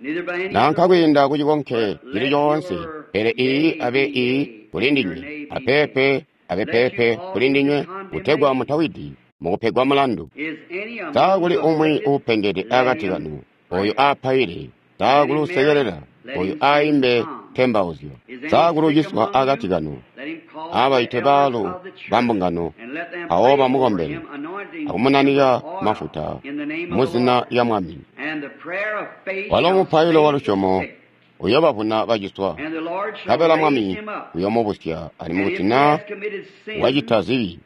Nanka kwiinda ku cikonke cili coonse, pele iiyi abe iiyi kulindinywe, apeepe abe peepe kulindinywe, kutegwa mutawidi mukupegwa mulandu. Sa kuli umwi uupengede akati kanu, oyo aapaile? Sa kuli usekelela, oyo aaimbe ntembauzyo? Sa kuli uciswa akati kanu, abaite baalu bambungano, mpawo bamukombele akumunanika mafuta muzina lya Mwami. Walo mupailo wa lusyomo uyoobavuna baciswa, nkabela Mwami uyoomubusya, alimwi kuti naa wacita zibi,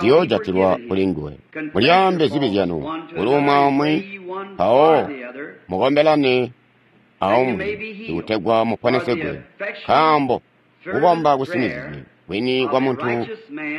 ziyoojatilwa kulinguwe. Mulyaambe zibi zyanu kuli umwi aumwi, mpawo mukombelane aumwi ikutegwa muponesegwe. Nkaambo kukomba kusinizizye kwini kwa muntu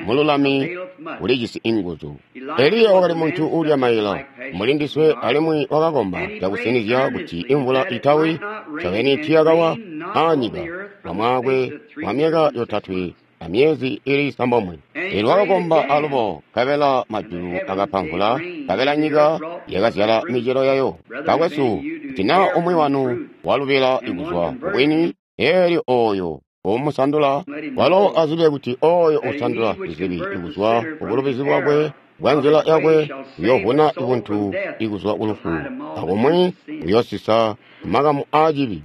mululami kulijisi inguzu. Eliya wakali muntu uulya maila mbuli ndiswe, alimwi wakakomba cakusinizya kuti imvula itawi. Ncobeni tiiyakawa aanyika lwamwaakwe wa myaka yotatwe amyezi ili isambomwe. Eelyo wakakomba alubo, nkabela majulu akapa mvula, nkabela nyika yakazyala micelo yayo. Bakwesu, kuti naa umwi wanu walubila kuzwa kubwini, eelyo ooyo umusandula, walo azibe kuti ooyo usandula zibi kuzwa kubulubizi bwakwe bwa nzila yakwe uyoovuna buntu ikuzwa kulufu, akumwi uyoosisa makamu aacibi.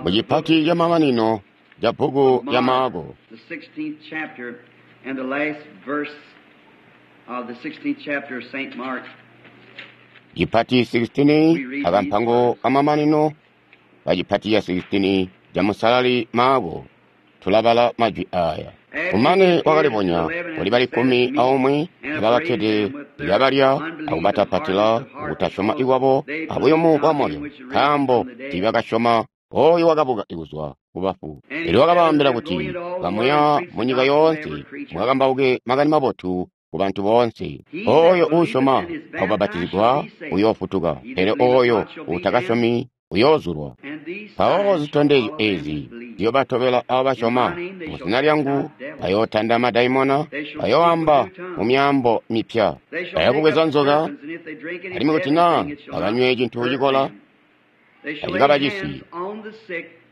Mucipati camamanino ca bbuku lya Maako, cipati 16 akampango kamamanino kacipati ca 16 ca Musalali Maako, tulabala majwi aaya. Kumane wakalibonya kuli bali kkumi aumwi abakakkede kabalya akubatapatila kutasyoma kwabo abuyumu bwamoyo, nkaambo tiibakasyoma ooyo wakabuka kuzwa kubafu. Eelyo wakabaambila kuti, Kamuya munyika yoonse mukakambauke makani mabotu kubantu boonse. Ooyo uusyoma akubapatizigwa uyoofutuka, pele ooyo uutakasyomi uyoozulwa. Mpawo zitondezyo eezi ziyoobatobela aabo basyoma. Muzina lyangu bayootanda madaimona, bayooamba mumyaambo mipya, bayakubweza nzoka, alimwi kuti naa bakanywe cintu cikola tacikabacisi,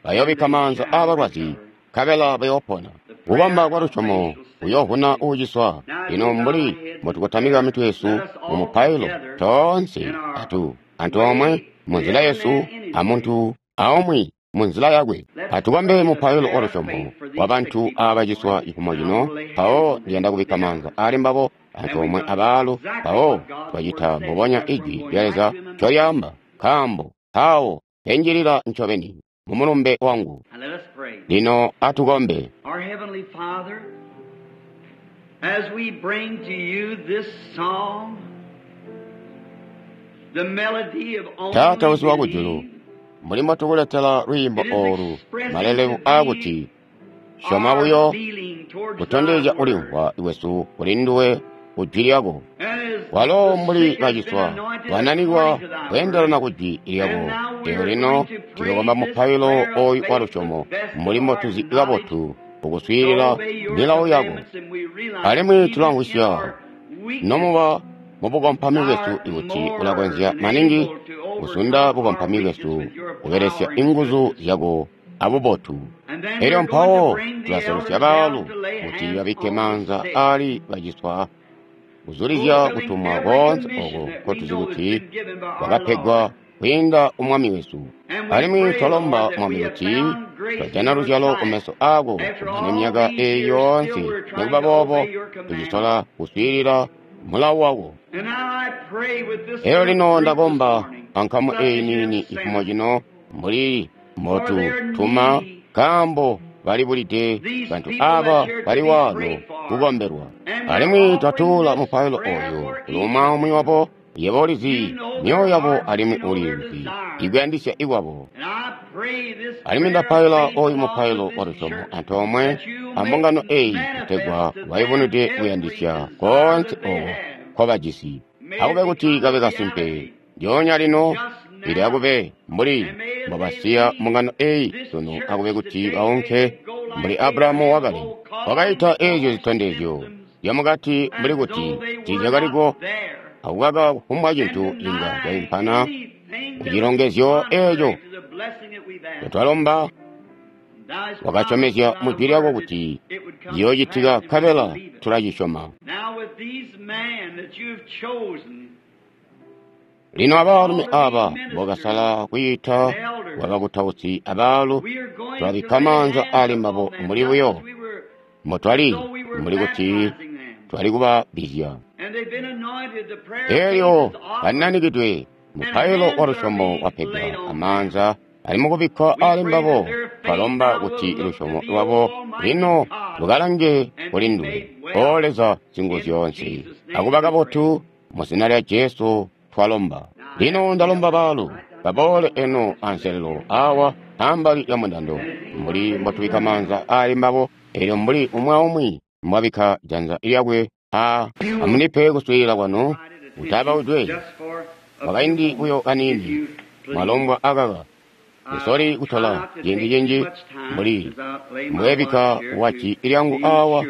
bayoobikka maanza aabalwazi, nkabela bayoopona. Kukomba kwa lusyomo kuyoovuna uuciswa. Lino mbuli mbotukotamika mitwe yesu mumupailo, toonse atu antoomwe munzila yesu amuntu aumwi munzila yakwe, atukombe mupailo wa lusyomo wa bantu abaciswa cifumo cino. Mpawo ndiyanda kubikka maanza aali mbabo antoomwe abaalu, mpawo twacita mbubonya ijwi lya Leza ncolyaamba, nkaambo mpawo penjilila ncobeni mumulumbe wangu. Lino atukombe. Our Heavenly Father, as we bring to you this song, the melody of only Taata wesu wakujulu, believe, mbuli mbotukuletela lwiimbo oolu, malelebu aakuti syoma buyo our feeling towards kutondezya thy word. kulimvwa kwesu kuli nduwe ku jwi lyako. And as Walo the mbuli sick has been baciswa anointed bananikwa according to thy kweendelana word, ku jwi lyako. And now we Lino are lino going to pray tuyokomba this mupailo prayer of ooyu wa faith lusyomo to the best mbuli of our mbotuzi knowledge, kabotu to kukuswiilila obey your milawo yako. commandments, and we realize Alimwi even in tulamvwisya our weakness, nomuba mubukompami bwesu are ikuti more ulakonzya than maningi able to kuzunda overcome our bukompami weakness bwesu with your kubelesya power and inguzu goodness. zyako abubotu. And then Elyo we're going to mpawo bring the tulaselusya elders baalu down to lay kuti hands babikke on the maanza sick, aali baciswa, kuzulizya fulfilling kutumwa every koonse commission oko that we nkotuzi know that's kuti been given by our kwakapegwa Lord. kwiinda umwami wesu. And we Alimwi pray, twalomba Lord, that Mwami we have kuti found grace in twajana your luzyalo sight. kumeso aako After kumane all myaka these eeyi years, yoonse, still we're trying nikuba to boobo obey your commandments. tucisola kuswiilila mulawo wako. And now I pray with this Elyo little lino group this ndakomba morning, ankamu such eeyi as you have niini ifumo sent, cino mbuli for their mbotutuma, need, nkaambo balibulide these bantu people aaba that's here to bali be waano prayed for. kukombelwa. And we're Alimwi offering twatuula this mupailo prayer ooyu for kuli each umwi of aumwi them. wabo. Yebo You ulizi know their myoyo yabo hearts, you alimwi know their ulizi desires. ikuyandisya ikwabo. And I pray this Alimwi prayer of ndapaila faith ooyu along with mupailo wa this lusyomo church antoomwe that you make ambungano eeyi kutegwa manifest to them bayubunute every kuyandisya desire koonse that they oko have. nkobajisi. May it Akube kuti become a kabe kasimpe reality ndyoonya lino just ili now. akube mbuli And may as they mbobasiya leave mbungano eeyi this sunu, church akube kuti today, may baunke they go mbuli like Abrahamu Abraham wakale of old, calling wakaita eezyo all zitondezyo symptoms zyamukati mbuli as kuti though they were tiizyakaliko not there, akukaka kufumbwa and cintu inga denying caimpana anything Kucilongezyo eeco twalomba, wakasyomezya mu Jwi lyako kuti ciyoocitika nkabela tulacisyoma. Lino abaalumi aaba mbokasala kwiita bwabakutausi abaalu, twabikka maanza aali mbabo mbuli buyo mbotwali mbuli kuti twali kubabbizya. Eelyo bananikidwe mupailo wa lusyomo wapegwa amaanza ali mukubikkwa aali mbabo, twalomba kuti lusyomo lwabo lino lukalange kuli nduwe, O Leza Singuzyoonse, akuba kabotu mu zina lya Jesu twalomba. Lino ndalomba baalu baboole eno anselelo awa ambali lya mundando, mbuli mbotubikka maanza aali mbabo, eelyo mbuli umwi aumwi mbwabikka janza lyakwe a amunipe kuswiilila kwanu kutabaudwe mwakaindi buyo kaniini mwalombwa akaka. Nsoli kutola ciindi cinji mbuli mbwebikka waci lyangu awa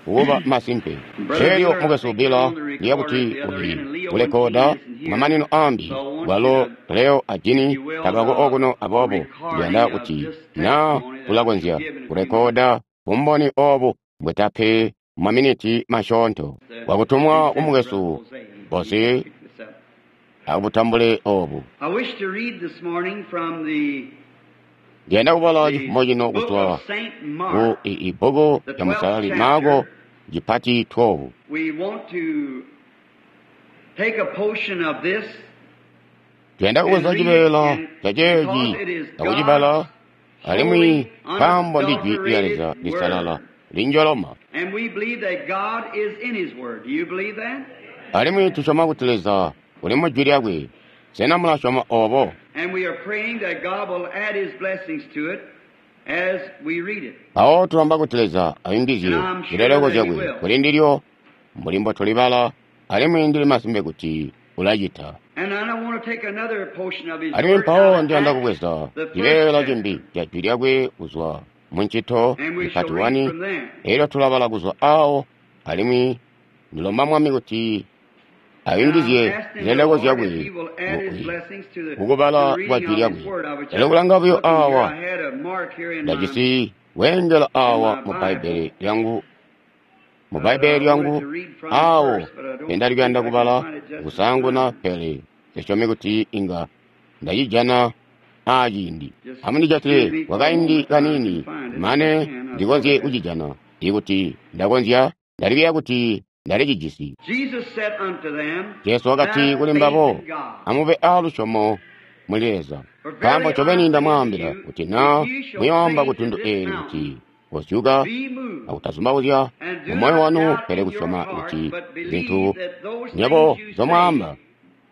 kuba masimpe. Elyo mukwesu Bill ndiya kuti uli kulekoda mamanino ambi bwalo Leo a Jini tabako okuno, aboobo ndiyanda kuti na ulakonzya kulekoda bumboni obu mbwetape maminiti masyoonto wakutumwa kumukwesu Bose akubutambule obu. Ndiyanda kubala cifumo cino kuzwa ku ibbuku lya Musalali Maako cipati 12. Tuyanda kubweza cibeela ca ceeci akucibala, alimwi nkaambo ndi Jwi lya Leza lisalala linjoloma. Alimwi tusyoma kuti Leza uli mu Jwi lyakwe. Sena mulasyoma obo? Mpawo tulomba kuti Leza ayungizye zileleko zyakwe kuli ndilyo mbuli mbotulibala, alimwi ndili masimpe kuti ulacita. Alimwi mpawo ndiyanda kubweza cibeela cimbi ca Jwi lyakwe kuzwa mu Ncito ipati 1, elyo tulabala kuzwa awo, alimwi ndilomba Mwami kuti ayungizye zileleko zyakwe kukubala kwa Jwi lyakwe. Elyo kulanga buyo awa, ndajisi weengela awa mu Bbaibbele lyangu, mu Bbaibbele lyangu awo pendali kuyanda kubala kusaanguna, pele nsisyomi kuti inga ndacijana aaciindi. Amundijatile kwakaindi kaniini mane ndikonzye kucijana. Ikuti ndakonzya, ndalibiya kuti ndalicijisi. Jesu wakati kuli mbabo, amube aalusyomo muli Leza. Nkaambo ncobeni ndamwaambila kuti na muyoomba kutundu eeli kuti kozyuka akutazumbauzya mumoyo wanu, pele kusyoma kuti zintu nywebo nzyomwaamba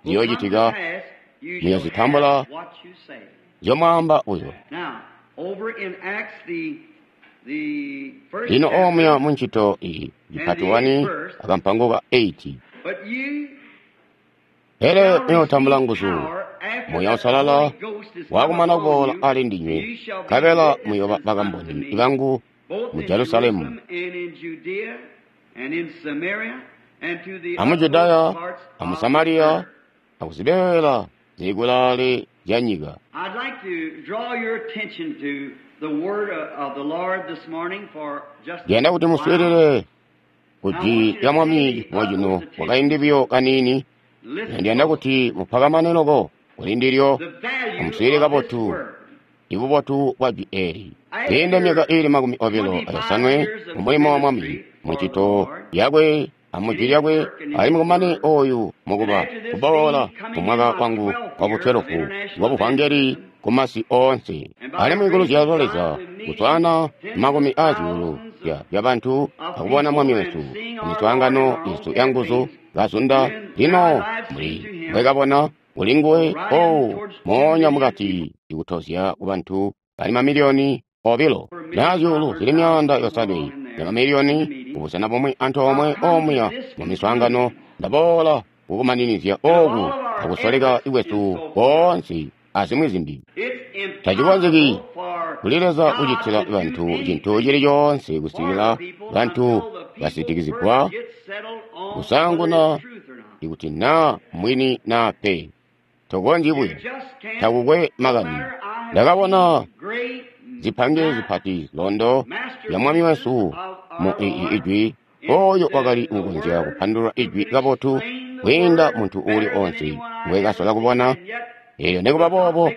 ziyoocitika, muyozitambula nzyomwaamba buyo. Lino omuya mu Ncito iyi cipati 1 akampango ka 8. Pele muyootambula nguzu, Muuya Uusalala waakumana kuboola ali ndinywe, nkabela muyooba bakamboni bangu mu Jerusalemu, amu Judaya, amu Samariya, akuzibeela zili kulaale zya nyika. Ndiyanda kuti muswiilile ku Jwi lya Mwami cifumo cino kwakaindi buyo kaniini. Ndiyanda kuti mupakamane loko kuli ndilyo, amuswiilile kabotu ibubotu bwa Jwi eeli. Kwiinde myaka iili 25 mumulimo wa Mwami, mu ncito yakwe amu Jwi lyakwe, alimwi kumane ooyu mukuba kuboola mumwaka wangu wa bu12 wa buvangeli kumasi oonse. Alimwi kuluzyalo lwa Leza kuswaana makumi aazyuulu zya bantu akubona Mwami wesu miswaangano yesu yanguzu kazunda. Lino mbuli mbwekabona kuli nguwe o moonya mukati ikutozya kubantu bali mamiliyoni 2 na zyuulu zili 500 ya mamiliyoni kubusena bumwi antoomwe omuya mu miswaangano. Ndaboola kukumaninizya oku akusoleka kwesu koonse azimwi zimbi. Tacikonzeki kuli Leza kucitila bantu cintu cili coonse kusikila bantu basitikizigwa kusaanguna ikuti naa mwini naa pe. Tokonzyi buya. Takukwe makani. Ndakabona zipange zipati londo ya Mwami wesu mu Ijwi, oyo wakali kukonzya kupandulula Ijwi kabotu kwiinda muntu uuli onse ngwekasola kubona. Elyo nikuba boobo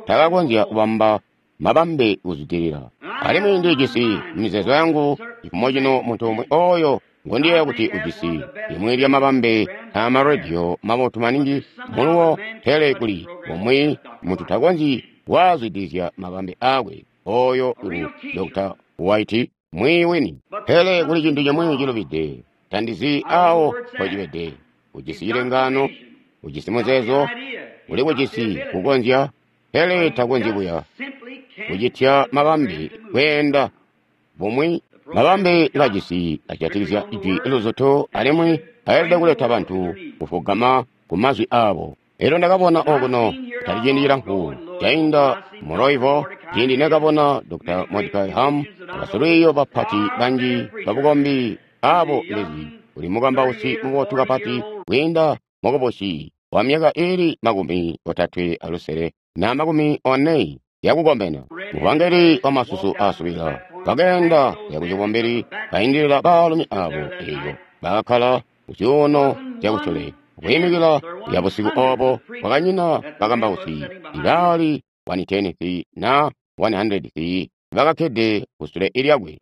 takakonzya kubamba mabambe kuzwidilila. Alimwi ndijisi mizeezo yangu cifumo cino muntu umwi oyo ngondiyeeya kuti ujisi limwi lya mabambe amarediyo mabotu maningi muluwo, pele kuli umwi muntu takonzyi waazwidilizya mabambe aakwe. Oyo ngu Dr. White mwiiyi wini. Pele kuli cintu cimwi cilubide, tandizi awo mpocibede. Ujisi cilengaano, ujisi muzeezo, uli kujisi kukonzya, pele takonzyi buya kucitya mabambe kweenda bumwi. Mabambe kajisi ajatikizya ijwi luzutu, alimwi ayelede kuleta bantu kufugama ku mazwi abo. Elyo ndakabona okuno kutali ciindi cilamfu cainda mu Louisville, ciindi nekabona Dr. Mordecai Ham abasilwiiyo bapati banji babukombi abo ndezi uli mukambausi mubotu kapati kwiinda mukubusi wa myaka iili 36 na 40 yakukomena. Muvangeli wa masusu asubila bakeenda yakucibumbili baindilila baalumi abo, eyo bakakkala kuzyuuno zyakusule kwiimikila ya busiku obo kwakanyina bakambausi ibaali 110 na 100 bakakkede kusule lyakwe.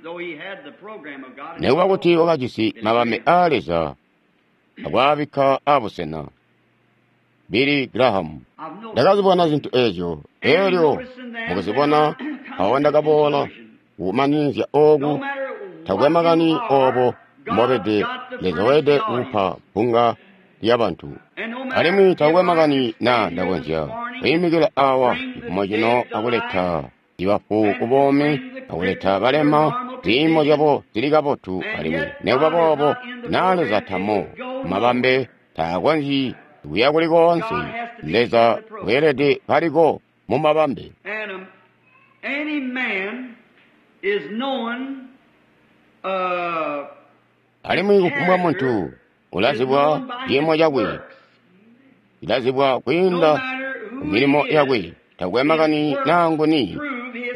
Nikuba kuti wakajisi mabambe aa Leza akwaabikka abusena. Billy Graham. Ndakazibona zintu ezyo, elyo mukuzibona awo ndakaboola kumanizya oku. Takwe makani obo mbobede, Leza weelede kupa bbunga lyabantu. Alimwi takwe makani na ndakonzya kwiimikila awa cifumo cino akuleta ibafu kubomi, akuleta balema ziimo zyabo zili kabotu, alimwi nikuba boobo na Leza tamo mabambe taakonzyi kuya kuli koonse. Leza weelede kaliko mu mabambe. Alimwi kufumbwa muntu ulazibwa ciimo cakwe, ilazibwa kwiinda ku milimo yakwe. Takwe makani naa nguni,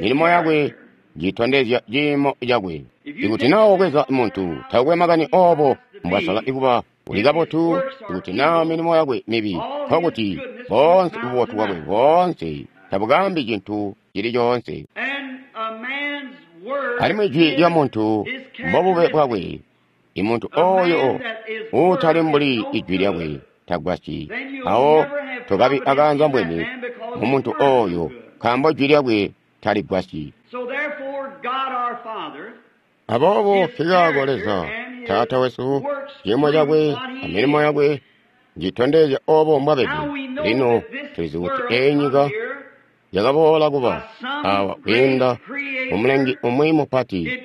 milimo yakwe njitondezya ciimo cakwe. Ikuti naa wabweza muntu, takwe makani obo mbwasola kuba uli kabotu, ikuti naa milimo yakwe mibi, nkokuti boonse bubotu bwakwe boonse tabukambi cintu cili coonse. Alimwi jwi lya muntu mbobube bwakwe. Imuntu oyo uutali mbuli ijwi lyakwe tagwasyi. Awo tokabi akaanza mbwene mu muntu oyo, nkaambo jwi lyakwe taligwasyi. Aboobo nkikaako Leza Taata wesu, ciimo cakwe amilimo yakwe njitondezya obo mbwabede. Lino tulizi kuti eyi nyika yakaboola kuba awa kwiinda mumulengi umwi mupati,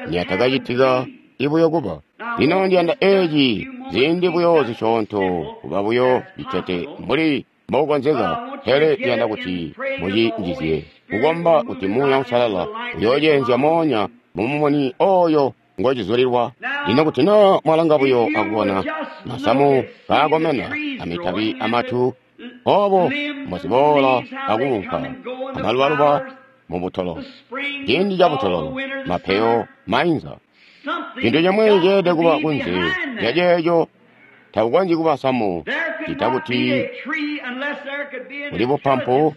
niyatakacitika ibuyo kuba. Lino ndiyanda eci ziindi buyo zisyoonto kuba buyo citete mbuli mbokukonzeka, pele ndiyanda kuti mucinjizye kukomba kuti Muuya Uusalala uyoocenzya moonya mumumuni oyo ngocizulilwa. Lino kuti naa mwalanga buyo akubona masamu kaakomena amitabi amatu, obo mboziboola akuunka amalubaluba mubutolo, ciindi cabutololo, mapeyo mainza, cintu cimwi ceelede kuba kunze lyaceeco. Takukonzyi kuba samu cita kuti kuli bupampu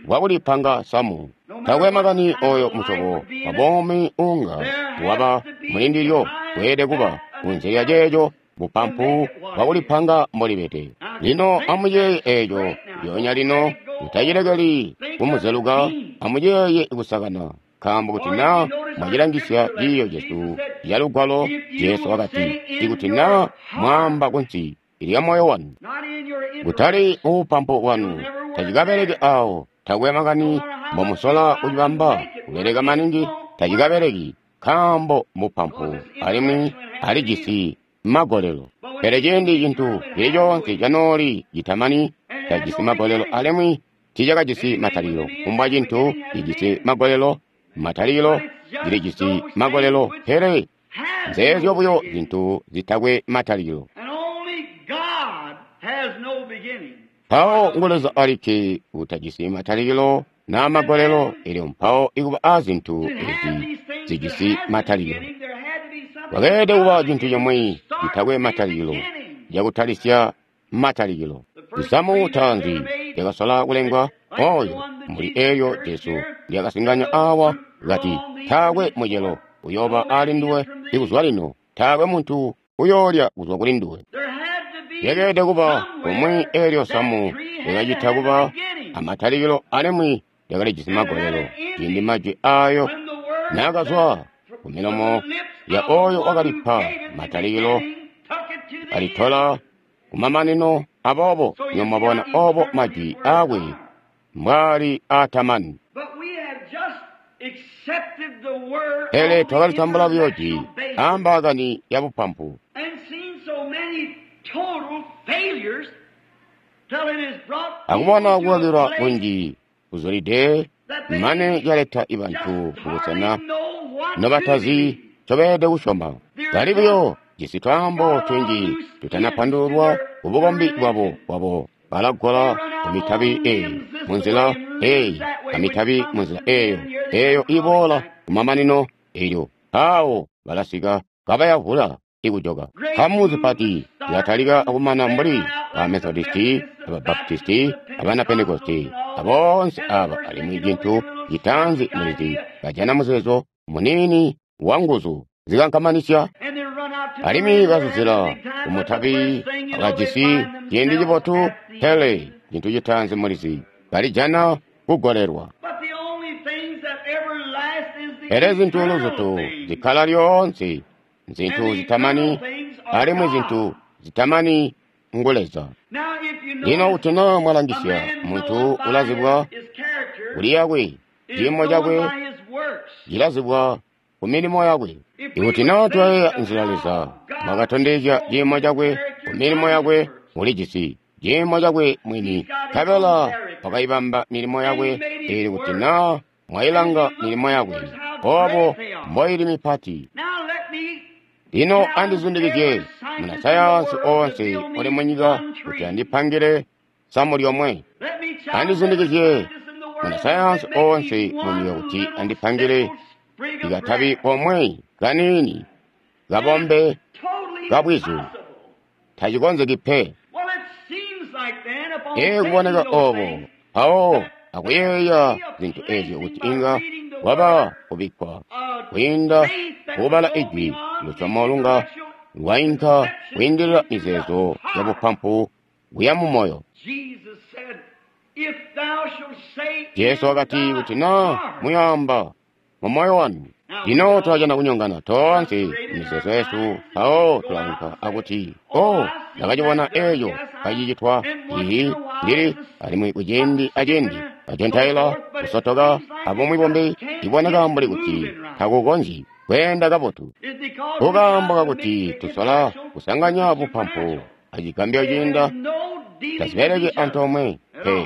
bwakulipanga samu. Takwe makani oyo musyobo wabomi unga waba mulindilyo, weelede kuba kunze lya ceeco bupampu bwakulipanga mbolibede. Lino amuyeeye eeco lyoonya lino, mutacilekeli kumuzeluka, amuyeeye kusakana. Nkaambo kuti naa mwacilangisya ciiyo cesu ca Lugwalo, Jesu wakati, ikuti naa mwaamba kunsi lya moyo wanu, kutali mubupampu bwanu, tacikabeleki awo. Takwe makani mbomusola kucibamba kubeleka maningi, tacikabeleki, nkaambo mbupampu alimwi alijisi magolelo. Pele ciindi cintu cili coonse canooli citamani tajisi magolelo alimwi tiicakajisi matalikilo. Kufumbwa cintu cijisi magolelo, matalikilo cilijisi magolelo, pele nzeezyo buyo zintu zitakwe matalikilo. Mpawo ngu Leza alikke utajisi matalikilo na magolelo, elyo mpawo ikuba a zintu ezi zijisi matalikilo. Kwakeelede kuba cintu cimwi citakwe matalikilo, cakutalisya matalikilo. Zisamu taanzi lyakasola kulengwa oyo mbuli eelyo Jesu lyakasinganya awa kati, taakwe mucelo uyooba ali nduwe ikuzwa lino, taakwe muntu uyoolya kuzwa kuli nduwe. Lyakeelede kuba kumwi eelyo samu lyakacita kuba amatalikilo alimwi lyakalijisi magolelo, ciindi majwi aayo naakazwa ku milomo ya oyo wakalipa matalikilo alitola kumamanino. Aboobo nyomwabona obo majwi aakwe mbwaali aatamani. Pele twakalitambula buyo jwi aambaakani ya bupampu, akubona kukakilwa kunji kuzulide mane caleta ibantu kubusena nobatazi ncobeelede kusyoma. Bali buyo jisi twaambo tunji tutanapandululwa kubukombi bwabo balagola kumitabi eyi munzila eyi amitabi munzila eyo eyo iboola kumamanino, elyo mpawo balasika kabayavula ikujoka. Nkamu zipati zilatalika akumana mbuli ba Methodisti, aba Baptisti, abana Pentekosti, aboonse aba, alimwi cintu citaanzi mulizi bajana muzeezo muniini wa nguzu zikankamanisya, alimwi bazuzila kumutabi akajisi ciindi cibotu, pele cintu citaanzi mulizi balijana kugolelwa. Pele zintu luzutu zikkala lyoonse nzintu zitamani, alimwi zintu zitamani ngu Leza. Lino kuti naa mwalangisya, muntu ulazibwa kuli yakwe, ciimo cakwe cilazibwa ku milimo yakwe. Ikuti naa twayeeya nzila Leza mwakatondezya ciimo cakwe ku milimo yakwe, ulijisi ciimo cakwe mwini, nkabela wakayibamba milimo yakwe. Eelyo kuti naa mwayilanga milimo yakwe, obo mboili mipati. Lino andizundikizye munasayansi oonse uli munyika kuti andipangile samu lyomwe. Andizundikizye munasayansi oonse munyika kuti andipangile ikatabi komwe kaniini kabombe kabwizu. Tacikonzeki pe. Ee, kuboneka obo mpawo akuyeeya zintu ezyo kuti inga waba kubikkwa kwiinda kukubala ijwi, lusyomo lunga lwainka kwiindilila mizeezo ya bupampu kuya mu moyo. Jesu wakati, kuti naa muyaamba mu moyo wanu. Lino tulajana kunyongana toonse mizeezo yesu, mpawo tulaunka akuti, o, ndakacibona eeco kacicitwa, ihi ndili, alimwi kuciindi aciindi bacentaila kusotoka abumwi bumbi, iboneka mbuli kuti takukonzyi kweenda kabotu. Kukaambo kakuti tusola kusanganya bupampu acigambyo ciinda, tazibeleki antoomwe pe.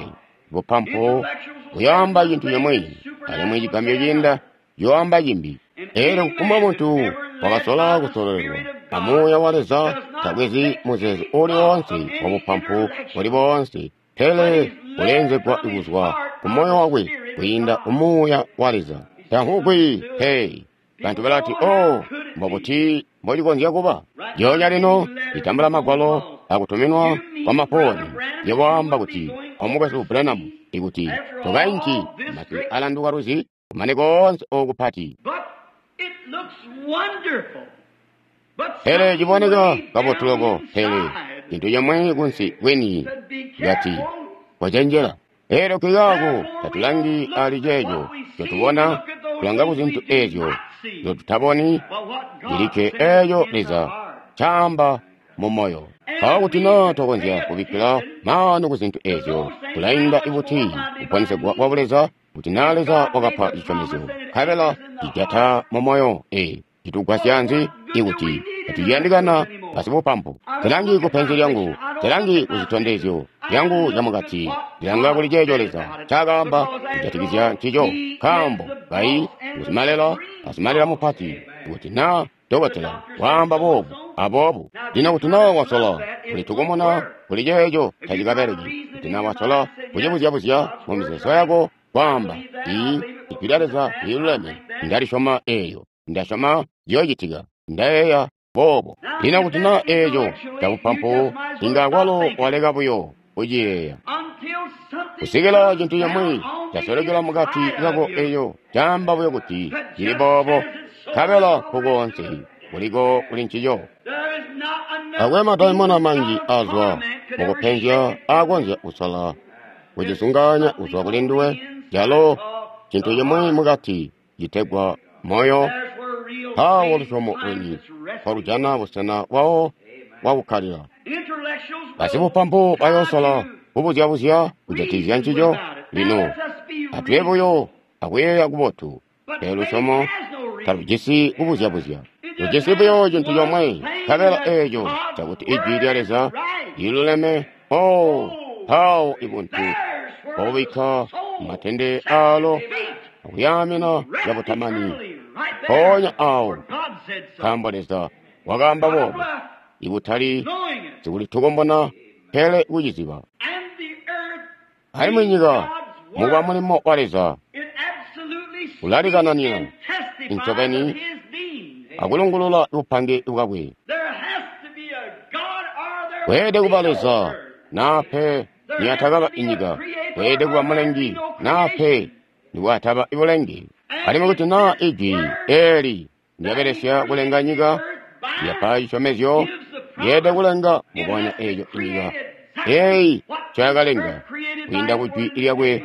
Bupampu buyoamba cintu cimwi, alimwi cigambyo ciinda yoamba cimbi. Eelyo kufumbwa muntu wakasola kusololelwa amuuya wa Leza tabwezi muzeezo uli woonse wa bupampu buli boonse, pele uleenzegwa kuzwa ku moyo wakwe kwiinda ku muuya wa Leza. Tamvugwi pe. Bantu balati, o, mbobuti mbocikonzya kuba? Lyoonya lino litambula magwalo akutuminwa kwa mafooni lyawaamba kuti, omukwesu Branham, ikuti tokainki masi alanduka lwizi kumane koonse oku pati. Pele ciboneka kabotu loko, pele cintu cimwi kunsi kwini kati, kocenjela. Eelyo kikaako tatulangi ali ceeco ncotubona, tulanga ku zintu eezyo nzyotutaboni, cilikke eeco Leza ncaamba mu moyo. Mpawo kuti naa twakonzya kubikkila maanu ku zintu eezyo, tulainda ibuti kuponesegwa kwa Buleza? Kuti naa Leza wakapa cisyomezyo, nkabela cijata mu moyo, ee, citugwasya nzi ikuti tatuciyandikana basibupampu? Nsilangi ku penzi lyangu, nsilangi ku zitondezyo zyangu zyamukati, ndilanga kuli ceeco Leza ncaakaamba kujatikizya ncico. Nkaambo kayi ngusimalela, asimalela mupati. Kuti naa Dokotela waamba boobu aboobu. Lino kuti naa wasola kulitukumuna kuli ceeco tacikabeleki. Kuti naa wasola kucibuzyabuzya mumizeezo yako kwaamba, ii Ijwi lya Leza liluleme, ndalisyoma eeyo, ndasyoma ciyoocitika, ndayeeya boobo. Lino kuti naa eeco cabupampu, inga kwalo waleka buyo kuciyeeya. Kusikila cintu cimwi casolekela mukati kako eeco caamba buyo kuti cili boobo, nkabela nkukoonse kuliko kuli ncico. Taakwe madaimona manji azwa mukupenzya aakonzya kusola kucizungaanya kuzwa kuli nduwe, calo cintu cimwi mukati citegwa moyo. Mpawo lusyomo lwini mpolujana busena bwawo bwakukkalila. Basibupampu bayoosola kubuzyabuzya kujatikizya ncico. Lino atube buyo akuyeeya kubotu, pele lusyomo talujisi kubuzyabuzya. Lujisi buyo cintu comwe, nkabela eeco cakuti Ijwi lya Leza liluleme. Oh, mpawo ibuntu bwakubikka matende aalo akuyaamina cabutamani mpoonya aawo, nkaambo Leza wakaamba boobo, ibutali sikulitukumbuna pele kuciziba. Alimwi nyika mukuba mulimo wa Leza ulalikananina ncobeni akulungulula bupange bwakwe. Kweelede kuba Leza naa pe niyatakaba inyika, kweelede kuba Mulengi naa pe nikwataba ibulengi. Alimwi kuti naa Ijwi eeli ndyabelesya kulenga nyika, lyapa cisyomezyo, lyeelede kulenga mbubonya eeco inyika eeyi ncoyakalenga kwiinda ku Jwi lyakwe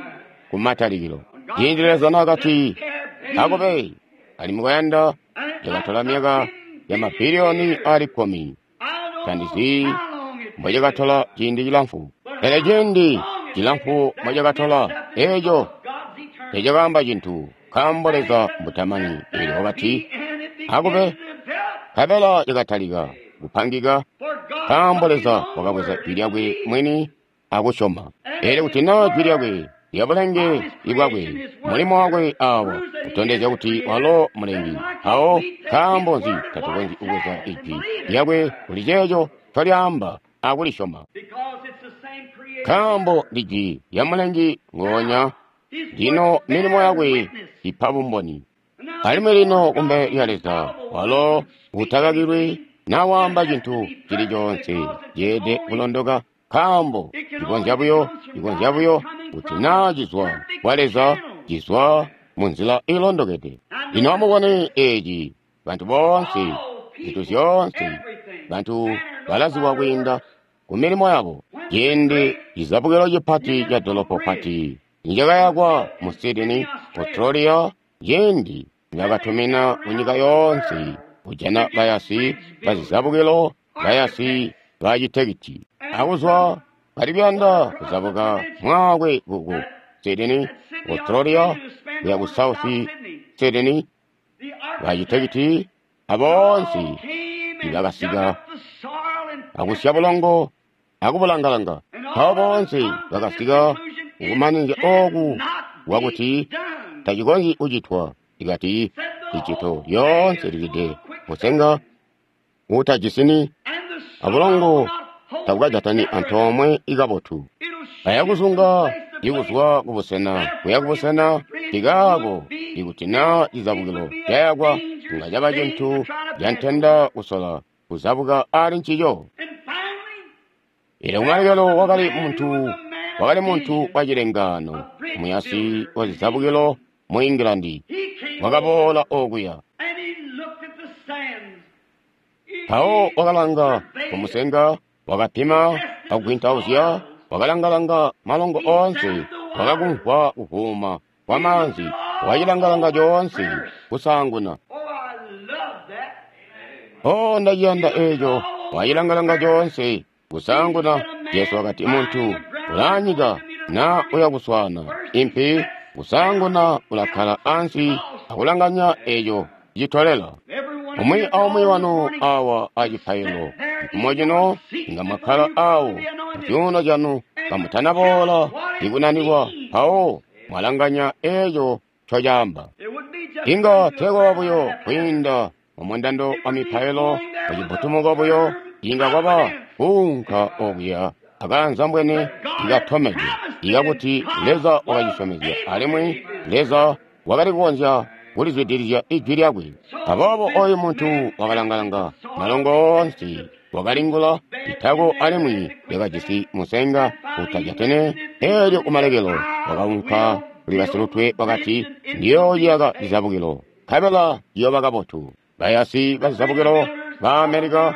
kumatalikilo. Ciindi Leza naakati, akube, alimwi kwayanda cakatola myaka ya mabiliyoni aali 10. Tandizi mbocakatola ciindi cilamfu, pele ciindi cilamfu mbocakatola eeco tecakaamba cintu, nkaambo Leza mbutamani. Eelyo wakati, akube, nkabela cakatalika kupangika, nkaambo Leza wakabweza Jwi lyakwe mwini akusyoma. Eelyo kuti naa Jwi lyakwe lyabulenge bwakwe, mulimo wakwe aawa kutondezya kuti walo mulengi, mpawo nkaambo nzi tatukonzyi kubweza Ijwi lyakwe kuli ceeco ncolyaamba akulisyoma? Nkaambo ndi Jwi lya mulengi ngoonya, lino milimo yakwe ipa bumboni. Alimwi lino kumbele lya Leza, walo utakakilwi nawaamba cintu cili coonse ceelede kulondoka, nkaambo cikonzya buyo kuti naa cizwa kwa Leza, cizwa munzila iilondokede. Lino amubone eeci, bantu boonse, zintu zyoonse, bantu balazibwa kwiinda ku milimo yabo. Ciindi cizabukilo cipati ca dolopo pati nicakayakwa mu Sydney, Australia, ciindi nibakatumina kunyika yoonse kujana bayasi bazizabukilo, bayasi bacitekiti, akuzwa bali kuyanda kuzabuka mwaakwe ku Sydney, Australia, kuya ku South Sydney, bacitekiti aboonse nibakasika akusya bulongo akubulangalanga. Mpawo boonse bakasika kukumanizya ooku kwakuti tacikonzyi kucitwa. Ikati icito lyoonse lilide musenga uutajisini abulongo tabukajatani antoomwe ikabotu. Ayakuzunga ikuzwa kubusena kuya kubusena ikaako, ikuti naa cizabukilo cayakwa inga caba cintu cantenda kusola kuzabuka aali ncico. Eelyo kumalekelo wakali muntu wa cilengaano, muyasi wa zizabukilo mu England, wakaboola okuya. Mpawo wakalanga kumusenga, wakapima akugwintauzya, wakalangalanga malongo oonse, wakakumvwa kuvuuma kwa maanzi, wakacilangalanga coonse kusaanguna. Oh, ndaciyanda eeco! Wacilangalanga coonse kusaanguna. Jesu wakati, muntu ulaanyika naa uya kuswaana impi, kusaanguna ulakkala ansi akulanganya eeco citolela. Umwi aumwi wanu awa acipaililo cifumo cino inga mwakkala awo mucuuno canu kamutanaboola ikunanikwa, mpawo mwalanganya eeco ncocaamba. Inga teekwaba buyo kwiinda mumundando wa mipailo mucibbutumuko buyo inga kwaba kuunka okuya akaanzambwene ikatomede ikakuti Leza wakacisyomezya alimwi Leza wakali kukonzya kulizwidilizya ijwi lyakwe. Aboobo oyu muntu wakalangalanga malongo oonse, wakalingula itako alimwi lyakajisi musenga utajatene. Eelyo kumalekelo wakaunka kuli basilutwe wakati, ndiyooyaka cizabukilo, nkabela ciyooba kabotu. Bayasi bazizabukilo ba Amerika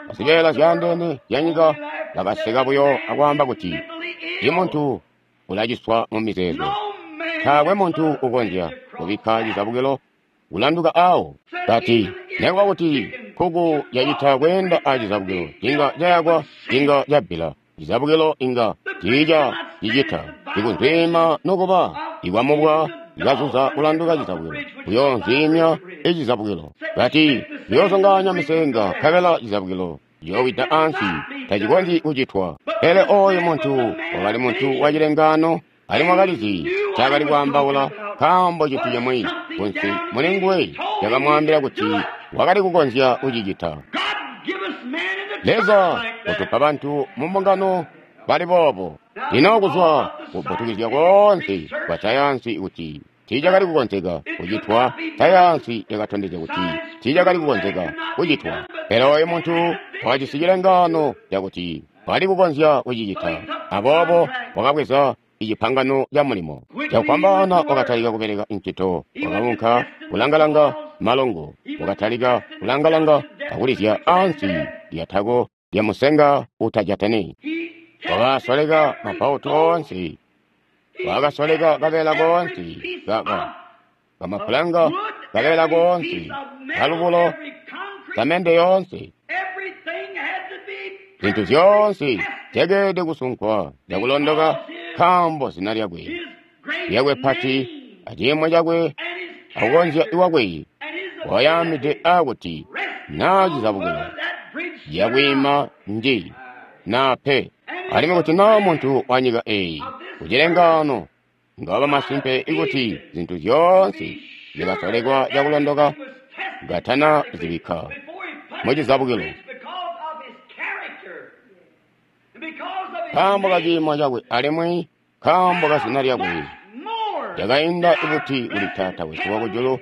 bazibeela zyaandeene zyanyika bakaseka buyo akwaamba kuti, imuntu ulaciswa mu mizeezo. Taakwe muntu ukonzya kubikka cizabukilo kulanduka awo. Kati, nekuba kuti nkuku yacita kweenda a cizabukilo, inga cayakwa, inga cabbila. Cizabukilo inga tiica cicita ikunzwiima nokuba ikwamubwa ikazuza kulanduka cizabukilo, kuyoonzwiimya icizabukilo. Kati, kuyoozongaanya misenga nkabela cizabukilo ciyoowida ansi, tacikonzyi kucitwa. Pele oyu muntu wakali muntu wa cilengaano, alimwi wakalizi ncaakali kwaambaula, nkaambo cintu cimwi kunsi mulinguwe cakamwaambila kuti wakali kukonzya kucicita. Leza utupa bantu mu mbungano bali boobo. Lino kuzwa kubutukizya koonse kwa sayansi kuti tiicakali kukonzeka kucitwa, sayansi yakatondezya kuti tiicakali kukonzeka kucitwa. Pele oyu muntu wakajisi cilengaano cakuti wakali kukonzya kucicita, aboobo wakabweza icipangano ca mulimo. Cakufwambaana wakatalika kubeleka ncito, wakaunka kulangalanga malongo, wakatalika kulangalanga akulizya ansi lyatako lya musenga utajatene. Wakasoleka mabautu oonse, wakasoleka kabeela koonse kamapulanga, kabeela koonse kalubulo, samende yoonse. Zintu zyoonse zyakeelede kusunkwa cakulondoka, nkaambo zina lyakwe lyakwe pati aciimo cakwe akukonzya kwakwe wayaamide aakuti naa cizabukilo ciyakwiima nji naa pe. Alimwi kuti naa muntu wa nyika eeyi kucilengaano ngawaba masimpe ikuti zintu zyoonse zyakasolekwa cakulondoka katana zibikka mucizabukilo, nkaambo kaciimo cakwe alimwi nkaambo kazina lyakwe, cakainda buti kuli Taata wesu wakujulu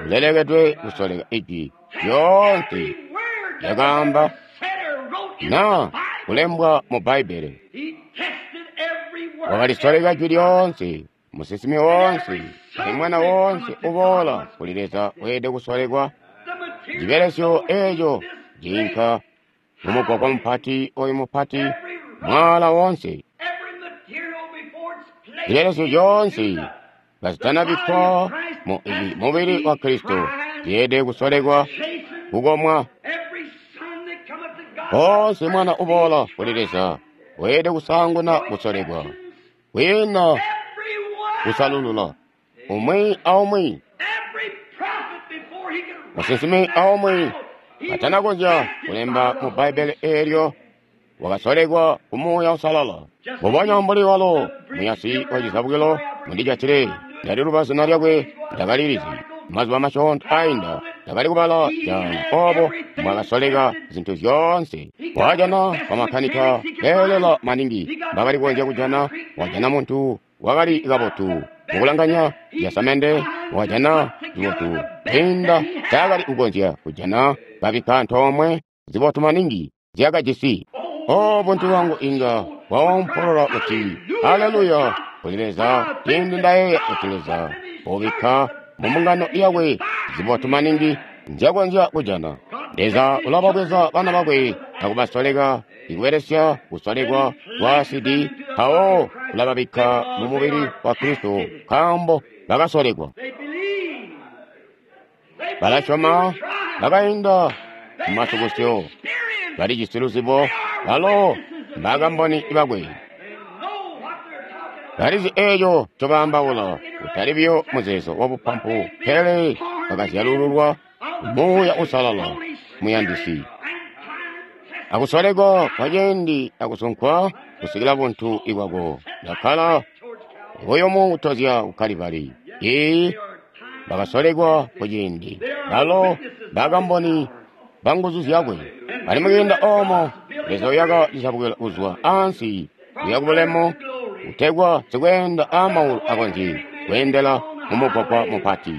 ulelekedwe kusoleka ijwi lyoonse lyakaamba naa kulembwa mu Bbaibbele. Wakalisoleka jwi lyoonse, musinsimi woonse, alimwi mwana woonse uboola kuli Leza weelede kusolekwa. Cibelesyo eeco ciinka mumugwagwa mupati oyu mupati, mwaala woonse. Zibelesyo zyoonse kazitanabikkwa mu mubili wa Kristo zyeelede kusolekwa kukomwa. Oonse mwana uboola kuli Leza weelede kusaanguna kusolekwa, kwiina kusalulula, umwi aumwi. Musinsimi aumwi katanakonzya kulemba mu Bbaibbele eelyo wakasolekwa ku Muuya Uusalala. Mbubonya mbuli walo muyasi wa cizabukilo mundijatile, ndaliluba zina lyakwe ndakalilizi. Mazuba masyoonto ainda ndakali kubala caano oobo mbwakasoleka zintu zyoonse. Wajana bamakanika beelela maningi mbakali kukonzya kujana, wajana muntu wakali kabotu mukulanganya zyasamende, wajana zibotu kwiinda ncaakali kukonzya kujana, babikka antoomwe zibotu maningi zyakajisi. O buntu bwangu inga bwaompolola kuti haleluya kuli Leza ciindi ndayeeya kuti Leza ubikka mu mbungano yakwe zibotu maningi nzyakonzya kujana. Leza ulababweza bana bakwe akubasoleka ikubelesya kusolekwa kwa asidi, mpawo ulababikka mu mubili wa Kristo nkaambo bakasolekwa. Balasyoma, bakainda mumasukusyo, balijisi luzibo, balo mbakamboni bakwe. Balizi eeco ncobaambaula, kutali buyo muzeezo wabupampu, pele bakazyalululwa Muuya Uusalala muyandisi. Akusolekwa kwaciindi akusunkwa kusikila buntu bwako bwakkala buyumu kutozya ku Kalibali. Ee, bakasolekwa kuciindi, balo bakamboni banguzu zyakwe. Alimwi kwiinda oomo Leza uyaka cizabukilo kuzwa ansi kuya kubulemu, kutegwa sikweenda aamaulu akonzye kweendela mumugwagwa mupati.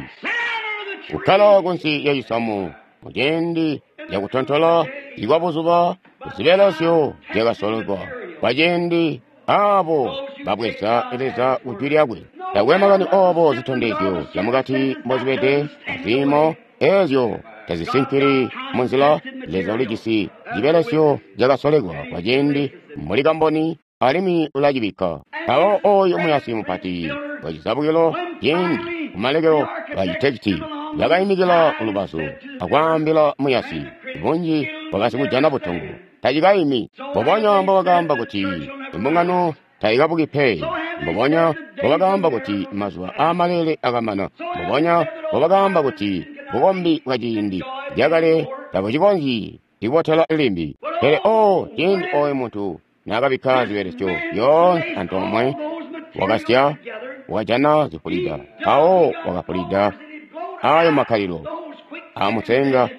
Kukkala kunsi lyacisamu muciindi cakutontola ikwabuzuba kuzibelesyo zyakasolekwa kwaciindi aabo babweza Leza kujwi lyakwe. Takwe makani oobo zitondezyo zyamukati mbozibede aziimo eezyo tazisinkili munzila. Leza ulijisi cibelesyo cakasolekwa kwaciindi mbuli kamboni alimwi ulacibikka. Mpawo ooyo muyasi mupati wacizabukilo ciindi kumalekelo bachitekiti bakayimikila kulubazu akwaambila muyasi, bunji bwakasikujana butongo tacikayimi. Mbubonya mbobakaamba kuti imbungano tayikabuki pe, mbubonya mbobakaamba kuti mazuba aamalele akamana, mbubonya mbobakaamba kuti bukombi bwaciindi cakale tabucikonzyi kubotela limbi. Pele o ciindi ooyo muntu naakabikka zibelesyo zyoonse antoomwe, wakasya, wakajana zifulida, mpawo wakafulida ayo makkalilo aamusenga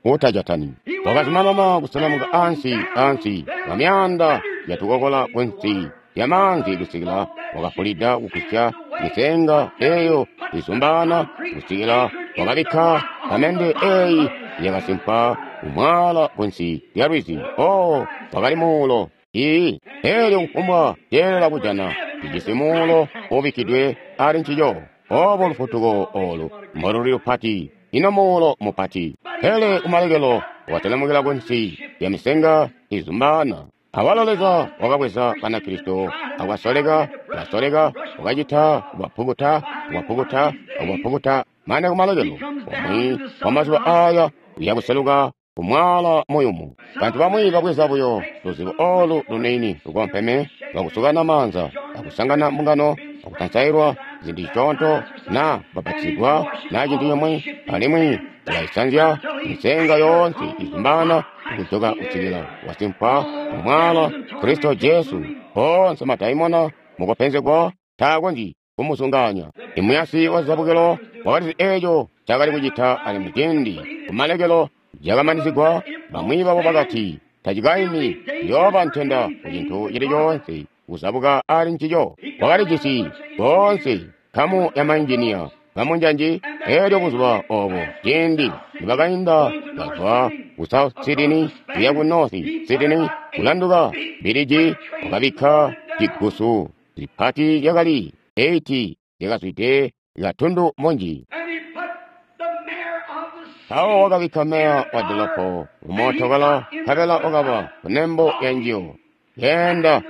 uutajatani. Wakazumanana kuselemuka ansi ansi kwamyaanda yatukokola kunsi lyamaanzi kusikila wakafulida kugwisya misenga eeyo izumbaana kusikila wakabikka pamende eeyi yakasimpa kumwaala kunsi lya lwizi. O wakali muulo ii eelyo kufumbwa ceelela kujana cijisi muulo uubikkidwe ali ncico. Obo lufutuko olu mboluli lupati, ino muulo mupati. Pele kumalekelo watelemukila kunsi lya misenga izumbaana. Awalo Leza wakabweza Banakristo akasoleka, kasoleka, wakacita kubapukuta, kubapukuta, kubapukuta mane kumalekelo. Umwi wa mazuba aya uyakuseluka kumwaala muyumu. Bantu bamwi babweza buyo luzibo olu luniini lukompeme lwakusukana maanza, akusangana mbungano, akutansailwa zintu zisyoonto, na babatizigwa na cintu cimwi, alimwi ulayisanzya misenga yoonse izumbaana kujoka kusikila wasimpwa mumwaala Kristo Jesu. Onse madaimona mukupenzegwa taakonzyi kumuzungaanya. Imuyasi wa zizabukilo wakalizi eeco cakali kucita, alimwi ciindi kumalekelo cakamanizigwa, bamwi babo bakati tacikaimi, yooba ntenda kucintu cili coonse kuzabuka ali ncico. Wakalijisi boonse nkamu ya mainjiniya bamunjanji. Eelyo buzuba oobo ciindi nibakainda kazwa ku South Sydney kuya ku North Sydney kulanduka biliji, wakabikka cigusu zipati zyakali 80 zyakazwide katundu munji. Mpawo wakabikka meya wa dolopo mumootokala, nkabela wakaba kunembo ya njiyo keenda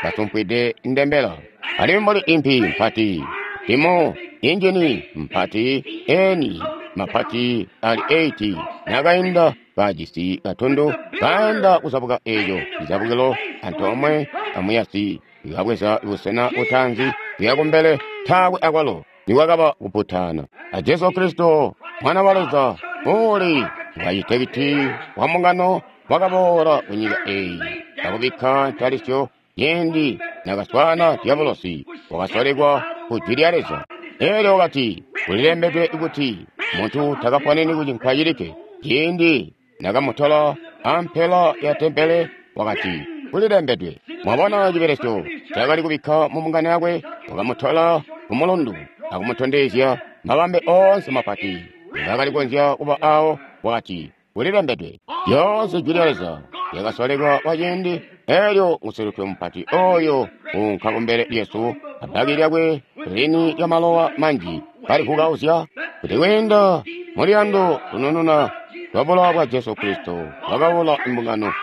kasumpwide ndembela. Alimwi mbuli impi mpati timu injini mpati eni mapati ali 80 nakainda kajisi katundu kaenda kuzabuka eeco cizabukilo antoomwe amuyasi ikabweza busena butanzi kuya kumbele, taakwe akwalo nikwakaba kuputana. A Jesu Kristo mwana wa Leza uli wacitekiti wa mbungano wakaboola kunyika eeyi akubikka ntalisyo ciindi nakaswaana Diabolosi wakasolekwa ku jwi lya Leza. Eelyo wakati, kulilembedwe kuti muntu takaponeni kucinkwa cilikke. Ciindi nakamutola ampela ya tempele wakati, kulilembedwe. Mwabona cibelesyo cakali kubikka mu mbungano yakwe, wakamutola kumulundu akumutondezya mabambe oonse mapati ngakali kukonzya kuba awo, wakati, kulilembedwe. Lyoonse jwi lya Leza lyakasolekwa kwaciindi. Eelyo musilutwe mupati oyo uunka kumbele lyesu abbaki lyakwe lini lyamalowa manji kalikukauzya kuti kwiinda muluyando lunununa lwa bulowa bwa Jesu Kristo wakaula imbungano.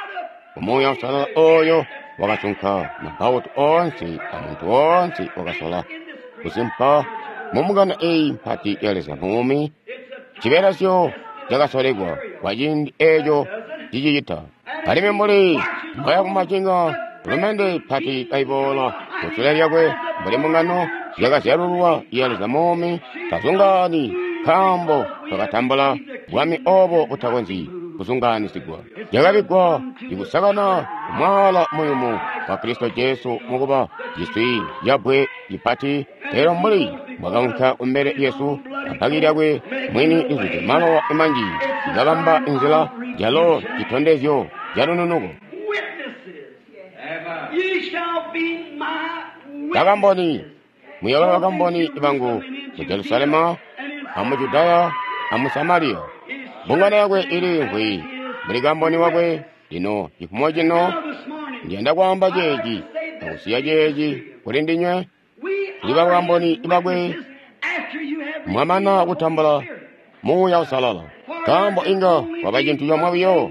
Umuuya Uusalala oyo wakasunka mabautu oonse amuntu woonse wakasola kusimpa mu mbungano eeyi mpati ya Leza muumi. Cibelesyo cakasolekwa kwaciindi eeco cicicita. Alimwi mbuli mbaya kumacinga lumende pati kaiboola kusule lyakwe mbuli mbungano yakazyalulwa ya Leza muumi, tazungaani nkaambo twakatambula bwami oobo butakonzyi kuzungaanisigwa. Cakabikkwa ikusakana kumwaala muyumu wa Kristo Jesu mukuba ciswi cabbwe cipati. Eelyo mbuli mbwakaunka kumbele lyesu Abbaki lyakwe mwini lizwide malowa manji likabamba inzila yalo citondezyo calununuko. Bakamboni, muyooba bakamboni bangu mu Jerusalema amu Judaya amu Samariya. Mbungano yakwe iliimvwi mbuli kamboni wakwe. Lino cifumo cino ndiyanda kwaamba ceeci akusiya ceeci kuli ndinywe tuli bakamboni bakwe mwamana kutambula Muuya Uusalala. Nkaambo inga kwaba cintu comwe buyo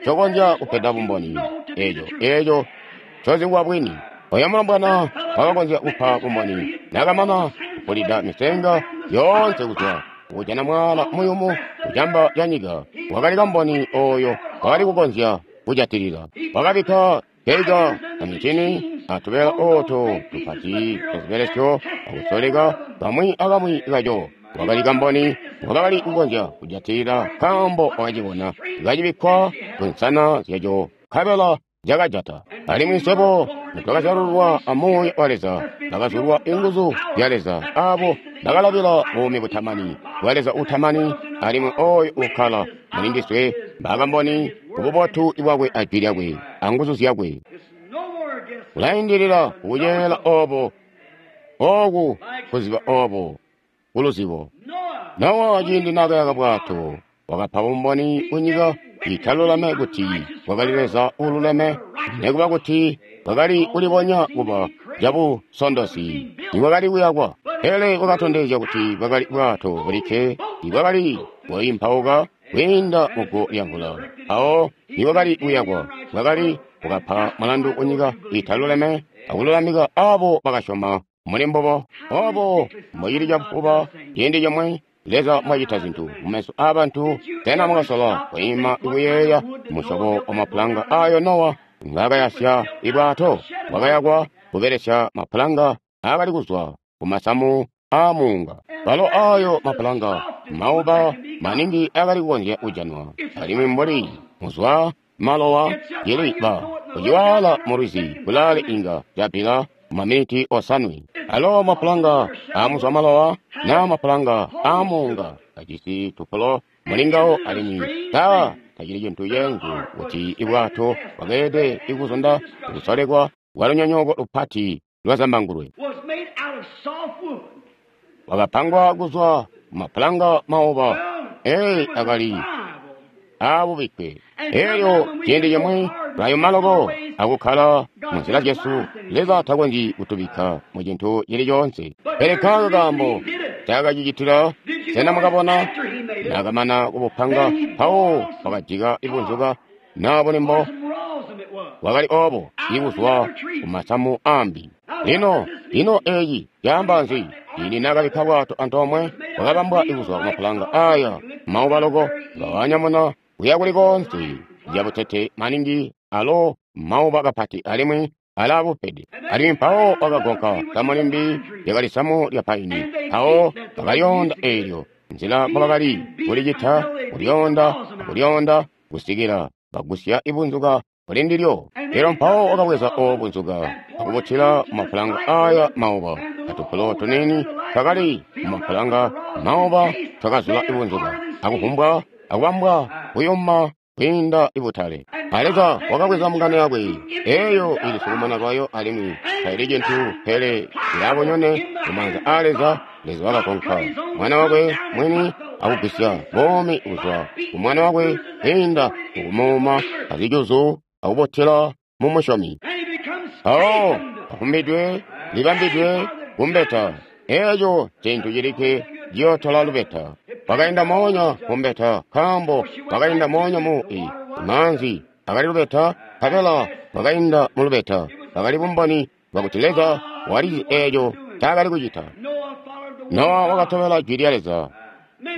cokonzya kupeda bumboni eeco cozibwa bwini. Oyo mulombwana wakakonzya kupa bumboni nakamana kupulida misenga yoonse kuzwa kujana mwaala muyumu kucamba ca nyika. Wakali kamboni oyo wakali kukonzya kujatilila. Wakabikka keiga amicini atubela ooto tupati tazibelesyo akusoleka kamwi akamwi kaco. Wakali kamboni wakali kukonzya kujatilila nkaambo wakacibona kacibikkwa kunsana zyaco nkabela cakajata. Alimwi swebo twakazyalulwa a Muuya wa Leza, bakazulwa inguzu zya Leza, abo bakalabila buumi butamani bwa Leza utamani, alimwi oyo ukkala muli ndiswe bakamboni kububotu bwakwe ajwi lyakwe anguzu zyakwe. Kulaindilila kukuceela obo oku kuziba obo kuluzibo. Nowa ciindi naakayaka bwato wakapa bumboni kunyika italuleme kuti bwakali Leza uululeme, nikuba kuti bwakali kulibonya kuba cabusondosi nibwakali kuyakwa. Pele bwakatondezya kuti bwakali bwato bulikke ibwakali bwaimpauka kwiinda muguwo lyamvula. Awo nibwakali kuyakwa bwakali bwakapa mulandu kunyika italuleme akululamika abo bakasyoma muli mbubo. Obo mbocili cabufuba ciindi comwe Leza mwacita zintu mumeso aabantu. Sena mwakasola kwiima kuyeeya musyobo wa mapulanga ayo Nowa ngaakayasya ibwato? Bwakayakwa kubelesya mapulanga aakali kuzwa kumasamu aamuunga. Balo ayo mapulanga mauba maningi aakali kukonzya kujanwa, alimwi mbuli muzwa malowa ciliba kuciwala mulwizi kulaale inga capila maminiti osanwe. Alo mapulanga aamuzwa malowa naa mapulanga aamuunga ajisi tupulo mulingawo, alimwi tacili cintu ceenzu kuti ibwato bwakeelede ikuzunda kusolekwa kwa lunyonyooko lupati lwa zambangulwe. Wakapangwa kuzwa mapulanga mauba akali aabubikkwe. Elyo ciindi cimwi tulayuma loko akukkala munzila zyesu. Leza takonzyi kutubikka mu cintu cili coonse. Pele kaako kaambo cakacicitila. Sena mwakabona naakamana kubupanga mpawo wakajika ibunzuka naa bulimbo bwakali obo ibuzwa kumasamu ambi. Lino ino eeci caamba nzi? Ciindi naakabikka bwato antoomwe bwakabambwa ikuzwa kumapulanga aya mauba loko, ngawanyamuna kuya kuli koonse cabutete maningi alo mauba kapati alimwi alaabupede. Alimwi mpawo wakagonka samu limbi lyakali samu lya paini. Mpawo bakalyonda eelyo nzila mbobakali kulicita kulyonda akulyoonda kusikila bagusya ibunzuka kuli ndilyo. Elyo mpawo wakabweza obo bunzuka akubutila mumapulanga aya mauba. Atupulo tuniini twakali mumapulanga mauba twakazula ibunzuka akuvumbwa akubambwa kuyuma kwiinda ibutale. Leza wakabweza mbungano yakwe eyo ili sukumana lwayo alimwi taili cintu pele ilaabonyone mumaanza aa Leza. Leza wakakonka mwana wakwe mwini akugwisya buumi kuzwa ku mwana wakwe kwiinda mukumuuma azijuzu akubutila mumusyomi. Mpawo avumbidwe libambidwe kumbeta. Eeco cintu cilikke ciyootola lubeta. Wakainda moonya mumbeta nkaambo wakainda moonya mu maanzi akali lubeta, nkabela wakainda mu lubeta. Bakali bumboni bwakuti Leza walizi eeco ncaakali kucita. Nowa wakatobela jwi lya Leza.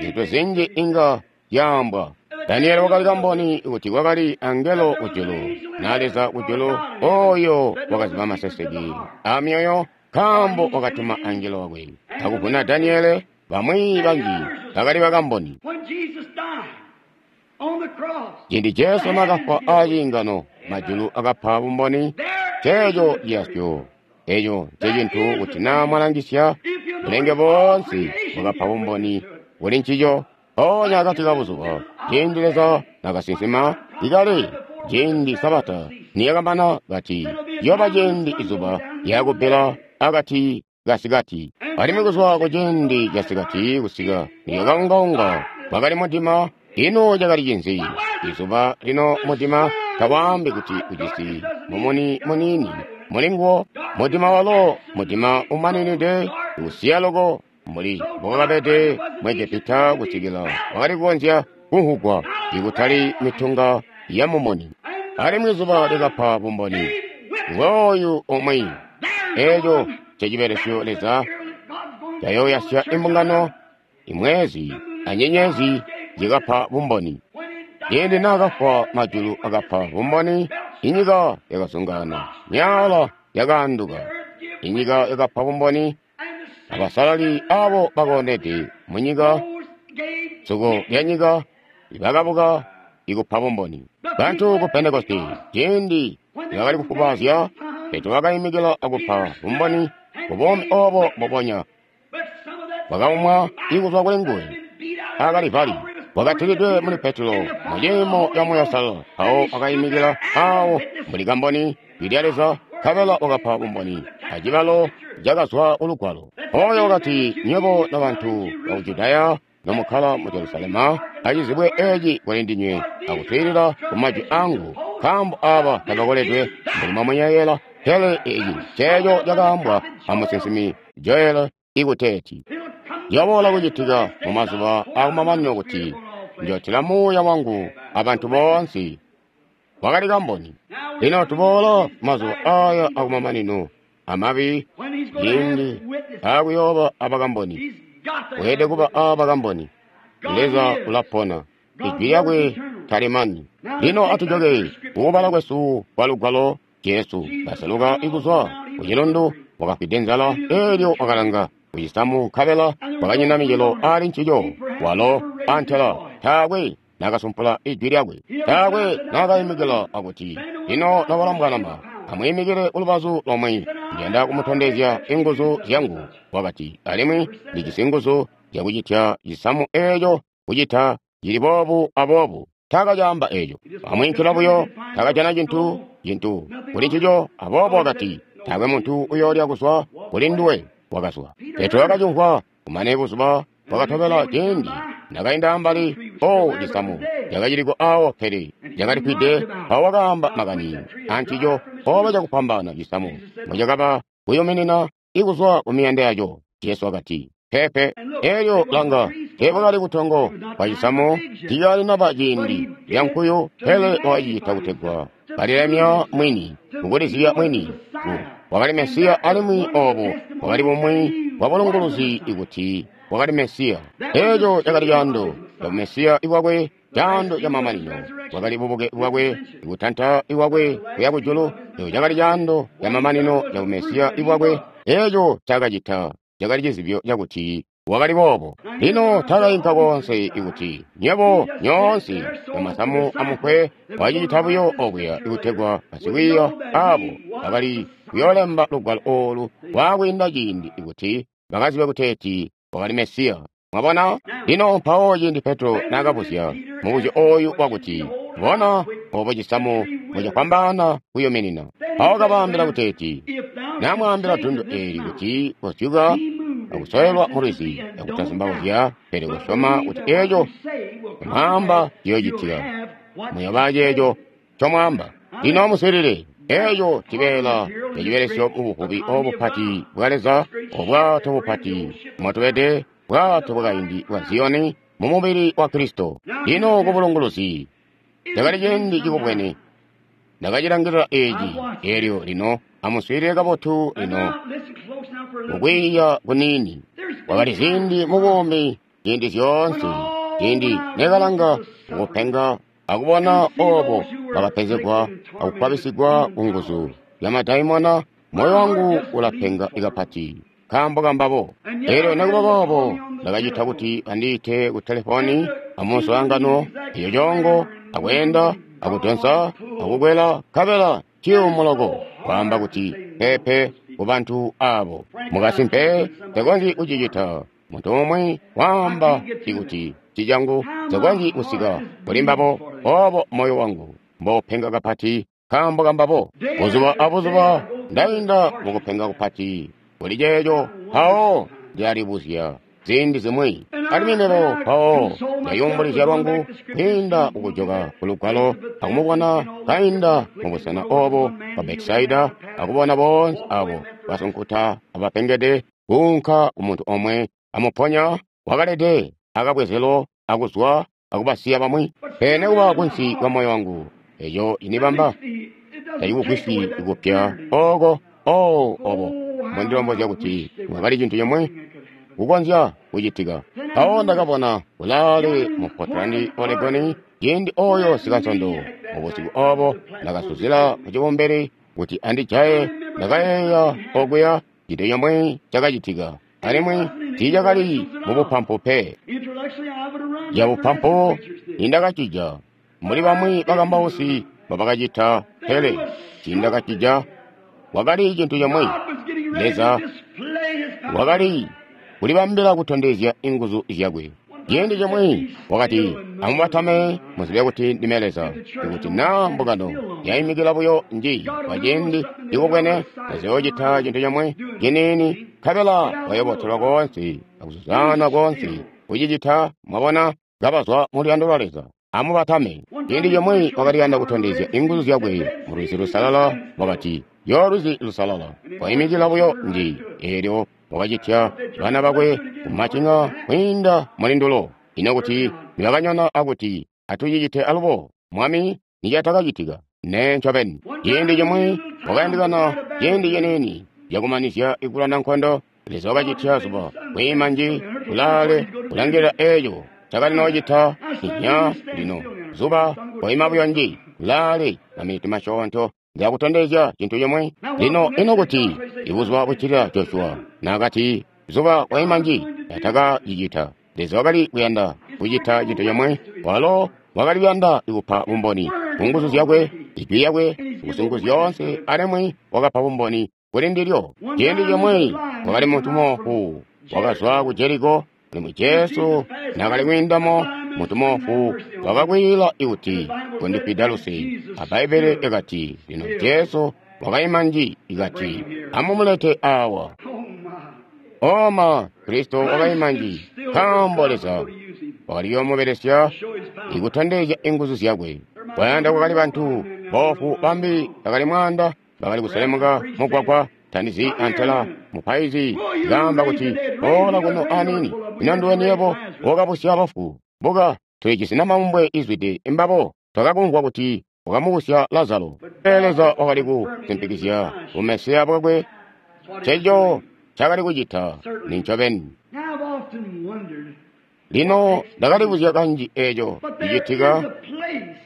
Zintu zinji inga zyaambwa. Daniele wakali kamboni kuti kwakali angelo kujulu na Leza kujulu oyo wakaziba maseseke amyoyo nkaambo wakatuma angelo wakwe akuvuna Daniele. Bamwi banji bakali bakamboni. Ciindi Jesu naakafwa aciingano, majulu akapa bumboni. Ceeco ciyasyo. Eco ncecintu kuti naa mwalangisya bulenge boonse wakapa bumboni kuli ncico. Mpoonya akati ka buzuba, ciindi Leza nakasinsima ikale, ciindi Sabata niyakamana kati, ciyooba ciindi izuba lyakubbila akati kasikati. Alimwi kuzwa ku ciindi casikati kusika niyakaungaunga kwakali mudima. Ino cakali cinzi? Izuba lino mudima tawaambi kuti ujisi mumuni muniini mulinguwo. Mudima walo mudima umaninide usiya loko mbuli mbokakabede mu Egepita kusikila wakali kukonzya kumvwugwa ikutali mitunga ya mumuni. Alimwi zuba likapa bumboni. Ngooyu umwi. Eeco ncecibelesyo Leza cayooyasya imbungano, imwezi anyenyezi zikapa bumboni. Ciindi naakafwa majulu akapa bumboni, inyika yakazungaana, myaala yakaanduka. Inyika yakapa bumboni, abasalali abo bakoonede munyika, suko lyanyika bakabuka ikupa bumboni. Bantu ku Pentekoste ciindi bakali kufubaazya, Petro wakaimikila akupa bumboni kubuumi obo mbubonya bwakaumwa ikuzwa kuli nguwe akalivali bwakatilidwe muli Petro mu ciimo ca Muuya Uusalala. Mpawo wakaimikila awo mbuli kamboni lya Leza, nkabela wakapa bumboni acibalo cakazwa kulugwalo. Oyo wakati, nywebo nobantu baku Judaya nomukkala mu Jerusalema, acizibwe eeci kuli ndinywe akuswiilila kumajwi angu, nkaambo aaba tabakoledwe mbuli mwamuyeeyela, pele eeci nceeco cakaambwa amusinsimi Joeli ikuteeti, ciyoboola kucitika mumazuba aakumamanino kuti njootila Muuya wangu abantu boonse. Wakali kamboni. Lino tuboola mazuba aaya akumamanino amabi, ciindi aakuyooba abakamboni. Weelede kuba aabakamboni. Leza ulapona, ijwi lyakwe talimani. Lino atujoke kukubala kwesu kwa lugwalo. Jesu kaseluka ikuzwa kucilundu, wakafwide nzala, eelyo wakalanga kucisamu, nkabela kwakanyina micelo ali ncico. Walo antela taakwe nakasumpula ijwi lyakwe, taakwe nakaimikila akuti, lino nobalombwanama, amwiimikile kulubazu lomwe, ndiyanda kumutondezya inguzu zyangu. Wakati, alimwi ndijisi nguzu zyakucitya cisamu eeco kucita cili boobu aboobu. Taakacaamba eeco, amwiinkila buyo, takajana cintu kuli ncico. Aboobo wakati, taakwe muntu uyoolya kuzwa kuli nduwe. Wakazwa. Petro wakacimvwa. Kumane buzuba bwakatobela ciindi nakainda ambali o cisamu cakaciliko awo, pele cakalifwide. Mpawo wakaamba makani ancico oba cakupambana cisamu mbocakaba kuyuminina ikuzwa kumiyanda yaco. Jesu wakati, pepe. Eelyo langa, teebwakali butongo bwa cisamu, tiicalinaba ciindi lya nkuyu, pele wakacicita kutegwa kalilemya mwini, kukulizibya mwini. Wakali Mesiya, alimwi obo bwakali bumwi bwa bulunguluzi ikuti wakali Mesiya. Eeco cakali caando ca Mesiya iwakwe, caando ca mamanino. Bwakali bubuke bwakwe, ikutanta iwakwe kuya kujulu. Eeco cakali caando ca mamanino ca Mesiya iwakwe. Eeco cakacita cakali cizibyo cakuti wakali boobo. Lino takainka koonse ikuti nywebo nyoonse mumasamu amukwe wacicita buyo okuya ikutegwa basikwiiya abo bakali kuyoolemba lugwalo oolu waakwiinda ciindi ikuti bakazibe kuteeti wakali Mesiya. Mwabona? Lino mpawo ciindi Petro naakabuzya mubuzyo ooyu wakuti, bona obo cisamu mucafwambaana kuyuminina. Mpawo kabaambila kuteeti, namwaambila dundu eeli kuti kozyuka akusoelwa mulwizi akutazumbauzya, pele kusyoma kuti eeco mwaamba ciyoocitika, muyooba ceeco ncomwaamba. Lino amuswiilile. Eeco cibeela cacibelesyo mubuvubi obupati bwa Leza, obwato bupati mwatubede, bwato bwakaindi bwa Ziyoni mumubili wa Kristo. Lino kubulunguluzi cakali ciindi cikubwene ndakacilangilila eeci. Eelyo lino amuswiilile kabotu. Lino mukwiiya kuniini, kwakali ziindi mubuumi, ziindi zyoonse, ciindi nekalanga mukupenga akubona obo bakapenzegwa akukwabisigwa kunguzu zya madaimona, moyo wangu ulapenga kapati nkaambo kambabo. Eelyo nikuba boobo ndakacita kuti bandiite ku telefoni amuswaangano eyo coongo, akweenda akudonsa akukwela, nkabela ciyumu loko kwaamba kuti pepe kubantu abo. Mukasimpe takonzyi kucicita. Muntu umwi waamba ikuti cicangu nsikonzyi kusika kuli mbabo, obo moyo wangu mbopenga kapati nkaambo kambabo. Buzuba abuzuba ndainda mukupenga kupati kuli ceeco, mpawo ndilalibuzya ziindi zimwi. Alimwi mebo mpawo ndayumbulizya lwangu kwiinda kukujoka ku Lugwalo akumubona kainda mubusena obo bwa Betisaida akubona boonse abo basunkuta abapengede kuunka kumuntu omwe amuponya wakalede akabwezelo akuzwa akubasiya bamwi. Pele nekuba kunsi kwa moyo wangu eco inibamba tacikugwisyi kupya oko obo mbondilombozya kuti mwakali cintu cimwe kukonzya kucitika. Mpawo ndakabona kulaale mu Portland, Oregon, ciindi oyo sikansondo mubusiku obo ndakasuzila kucibumbili kuti andijaye. Ndakayeeya okuya cintu cimwe cakacitika, alimwi tiicakali mubupampu pe. Cabupampu nindakacija mbuli bamwi bakambausi mbobakacita, pele tiindakacija. Kwakali cintu cimwe. Leza wakali kulibambila kutondezya inguzu zyakwe. Ciindi cimwe wakati, amubatame muzibe kuti ndime Leza. Ikuti naa mbungano yaimikila buyo nji kwa ciindi cikubwene, taziyoocita cintu cimwe ciniini, nkabela bayobotelwa koonse akuzuzana koonse kucicita. Mwabona, kabazwa mu luyando lwa Leza. Amubatame. Ciindi cimwe wakali kuyanda kutondezya inguzu zyakwe mu Lwizi Lusalala, wakati, yo Lwizi Lusalala, waimikila buyo nji. Eelyo wakacitya bana bakwe kumacinga kwiinda mulindulo. Ino kuti nibakanyona akuti atucicite alubo, Mwami, nicatakacitika. Nee ncobeni. Ciindi cimwe wakayandikana ciindi ciniini cakumanizya ikulwana nkondo. Leza wakacitya zuba kwiima nji kulaale kulangilila eeco cakali noocita inya. Lino zuba waima buyo nji kulaale maminiti masyoonto ndakutondezya cintu cimwe. Lino ino kuti ibuzuba buccilila Joshua naakati zuba waima nji, atakacicita. Leza wakali kuyanda kucita cintu cimwe. Walo wakali kuyanda kupa bumboni ku nguzu zyakwe, ijwi lyakwe, kuzingu zyoonse, alimwi wakapa bumboni kuli ndilyo. Ciindi cimwe wakali muntu moofu wakazwa ku Jeriko, alimwi Jesu naakali kwiindamo, muntu moofu wakakwiila ikuti, kondifwida luse. A Bbaibbele lyakati, lino Jesu wakaima nji, ikati, amumulete awa. Oma, Kristo wakaima nji, nkaambo Leza wakali kuyoomubelesya ikutondezya inguzu zyakwe. Kwayanda kwakali bantu boofu bambi bakali mwaanda bakali kuselemuka mugwagwa tandizi antela mupaizi kaamba kuti, boola kuno aniini, ino nduwe niyebo wakabusya bafu? Buka, tulijisi namaumbwe izwide imbabo, twakakumvwa kuti wakamubusya Lazaro. Pele Leza wakali kusimpikizya bumesiya bwakwe. Nceco cakali kucita ni ncobeni. Lino ndakalibuzya kanji eeco cicitika,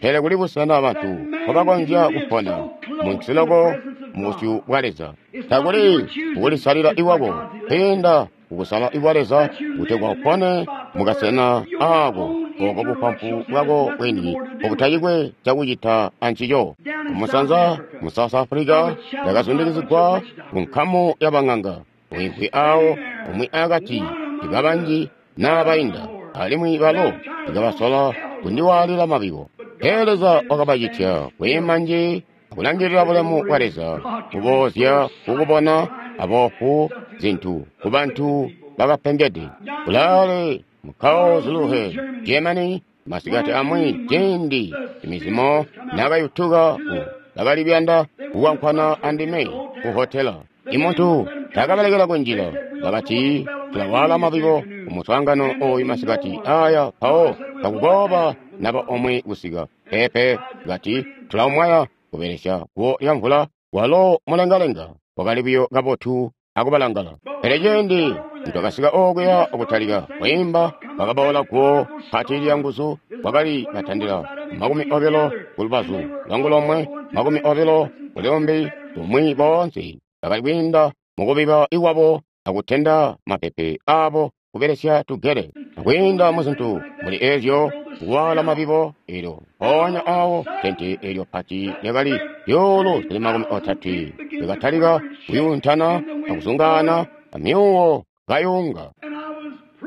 pele kuli busena bantu mpobakonzya kupona munsi loko mubusyu bwa Leza. Takuli kukulisalila iwako kwiinda kukusala ikwa Leza kutegwa upone mukasena aako oko bupampu bwako bwini obutacikwe cakucita ancico. Kumusanza mu South Africa ndakazundikizigwa ku nkamu y'abang'anga uimvwi awo umwi akati ikabanji n'abainda, alimwi balo ikabasola kundiwaalila mabibo. Pele Leza wakabacitya kwiima nji akulangilila bulemu bwa Leza kuboozya kukubona aboofu zintu kubantu bakapengede. Kulaale mu Karlsruhe, Germany, masikati amwi ciindi imizimo nakayutuka ku bakali kuyanda kukwankwana andime ku hotela. Imuntu takabalekela kunjila, bakati tulawaala mabibo kumuswaangano oyu masikati aya, mpawo takukooba naba omwe kusika. Peepe, kati tulaumwaya kubelesya guwo lya mvula, walo mulengalenga wakali buyo kabotu akubalangala. Pele ciindi nitwakasika okuya akutalika kwiimba, kwakaboola guwo pati lya nguzu, kwakali batandila 20 kulubazu lwangu lomwe, 20 kulumbi lumwi. Boonse bakali kwiinda mukubiba iwabo akutenda mapepe aabo kubelesya tugele, akwiinda muzintu muli eezyo kuwaala mabibo. Eelyo mpoonya awo tente eelyo pati lyakali zyuulu zili 30 likatalika kuyuuntana akuzungaana amyuuwo kayunga.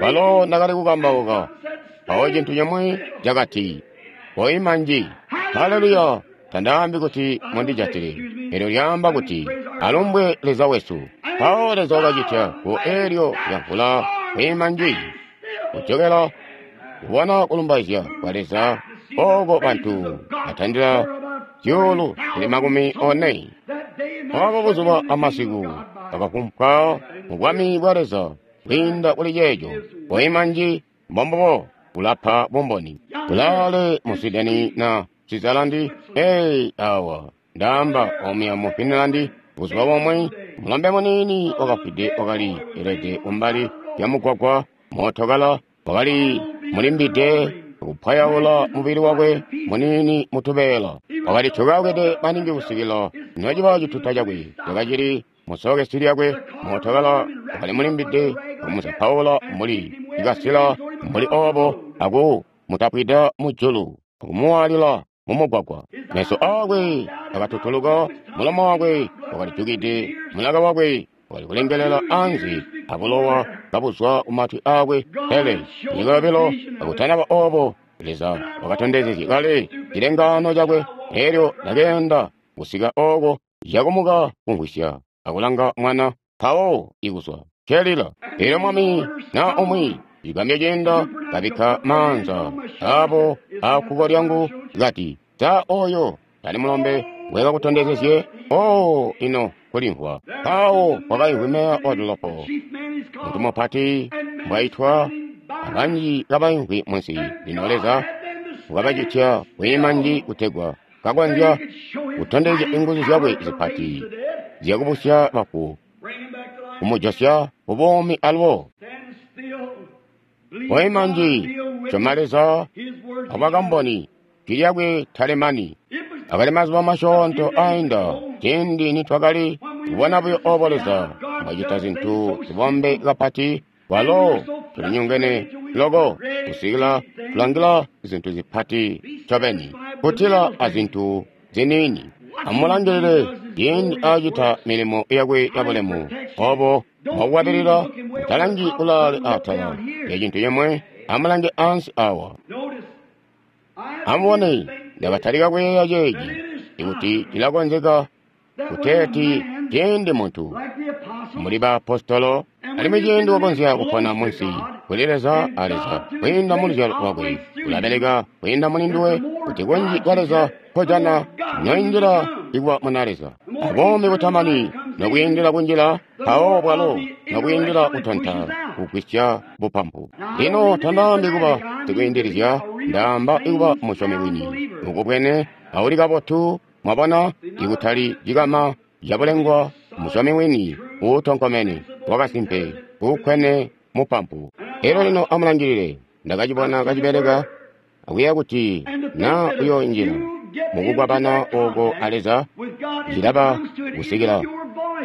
Kwalo ndakali kukambauka, mpawo cintu cimwi cakati, "Koima nji." Haleluya! Tandaambi kuti mundijatile. Elyo lyaamba kuti, "Alumbwe Leza wesu." Mpawo Leza wakacitya ku eelyo lyamvula kwiima nji, kujokela kubona kulumbaizya kwa Leza oko bantu batandila 40000. Obo buzuba amasiku bakafumpwa mu bwami bwa Leza kwiinda kuli ceeco. Koima nji, mbombubo kulapa bumboni. Kulaale mu Sweden na Switzerland, awa ndaamba omuya mu Finland, buzuba bomwe mulombe muniini wakafwide wakali elede kumbali lya mugwagwa, mootokala wakali mulimbide kupwayaula mubili wakwe muniini mutubeela. Wakali tyokakede maningi kusikila nociba cituta cakwe cakacili musokesi lyakwe. Mootokala wakali mulimbide kumuzapaula mbuli cikasila mbuli obo aku mutapwida mujulu akumuwaalila mumugwagwa. Meso aakwe akatutuluka, mulomo wakwe wakalijukide, mulaka wakwe wakali kulengelela anze abulowa kabuzwa kumatwi aakwe. Pele nyika yobilo akutanaba obo, Leza wakatondezezye kale cilengaano cakwe. Elyo ndakeenda kusika oko cakumuka kumvwisya akulanga mwana mpawo ikuzwa kelila. Elyo mwami na umwi cigambyo ciinda kabikka maanza abo akkuko lyangu kati, "Sa oyo tali mulombe wekakutondezezye?" Oh, ino kulimvwa. Mpawo kwakaimvwi meya wa dolopo, muntu mupati mbwaitwa, abanji kabaimvwi munsi. Lino Leza wakabacitya kwiima nji kutegwa kakonzya kutondezya inguzu zyakwe zipati zyakubusya bafu, kumujosya kubuumi alubo. Koima nji, syoma Leza abakamboni, jwi lyakwe talemani. Akali mazuba masyoonto ainda ciindi nitwakali kubona buyo obo Leza mbwacita zintu zibombe kapati, kwalo tulinyongene loko kusikila tulangila zintu zipati ncobeni, kutila azintu ziniini. Amulangilile ciindi acita milimo yakwe yabulemu, obo mwakukwabilila. Mutalangi kulaale atala lya cintu cimwe, amulange ansi awa. Amubone, ndakatalika kuyeeya ceeci, ikuti cilakonzeka kuteeti ciindi muntu mbuli baapostolo, alimwi ciindi wakonzya kupona munsi kuli Leza a Leza kwiinda mu luzyalo lwakwe ulabeleka kwiinda muli nduwe, kuti kunji kwa Leza nkojana noinjila ikuba muna Leza abuumi butamani, nokwiindila kunjila mpawo bwalo nokwiindila kutonta kugwisya bupampu. Lino tandaambi kuba sikwiindilizya, ndaamba ikuba musyomi wini mukubwene auli kabotu, mwabona, ikutali cikama cabulengwa, musyomi wini uutonkomene wakasimpe uukkwene mupampu. Elyo lino amulangilile, ndakacibona kacibeleka akuyeeya kuti na uyoonjila mukukwabana oko a Leza, cilaba kusikila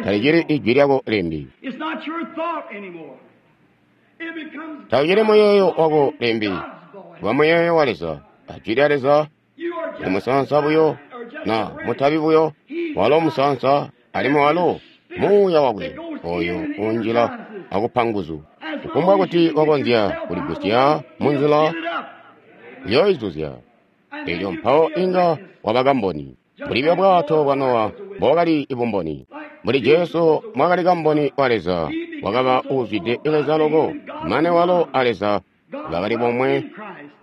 talicili ijwi lyako limbi, taucili muyeeyo wako limbi, kuba muyeeyo wa Leza ajwi lya Leza. Uli musaansa buyo na mutabi buyo, walo musaansa alimwi walo muuya wakwe oyo unjila akupa nguzu. Kufumbwa kuti wakonzya kuligusya munzila uyoizuzya, elyo mpawo inga waba kamboni. Mbuli bwato bwa Nowa mbwakali bumboni, mbuli Jesu mwakali kamboni wa Leza, wakaba uuzwide Leza loko, mane walo a Leza bakali bomwe.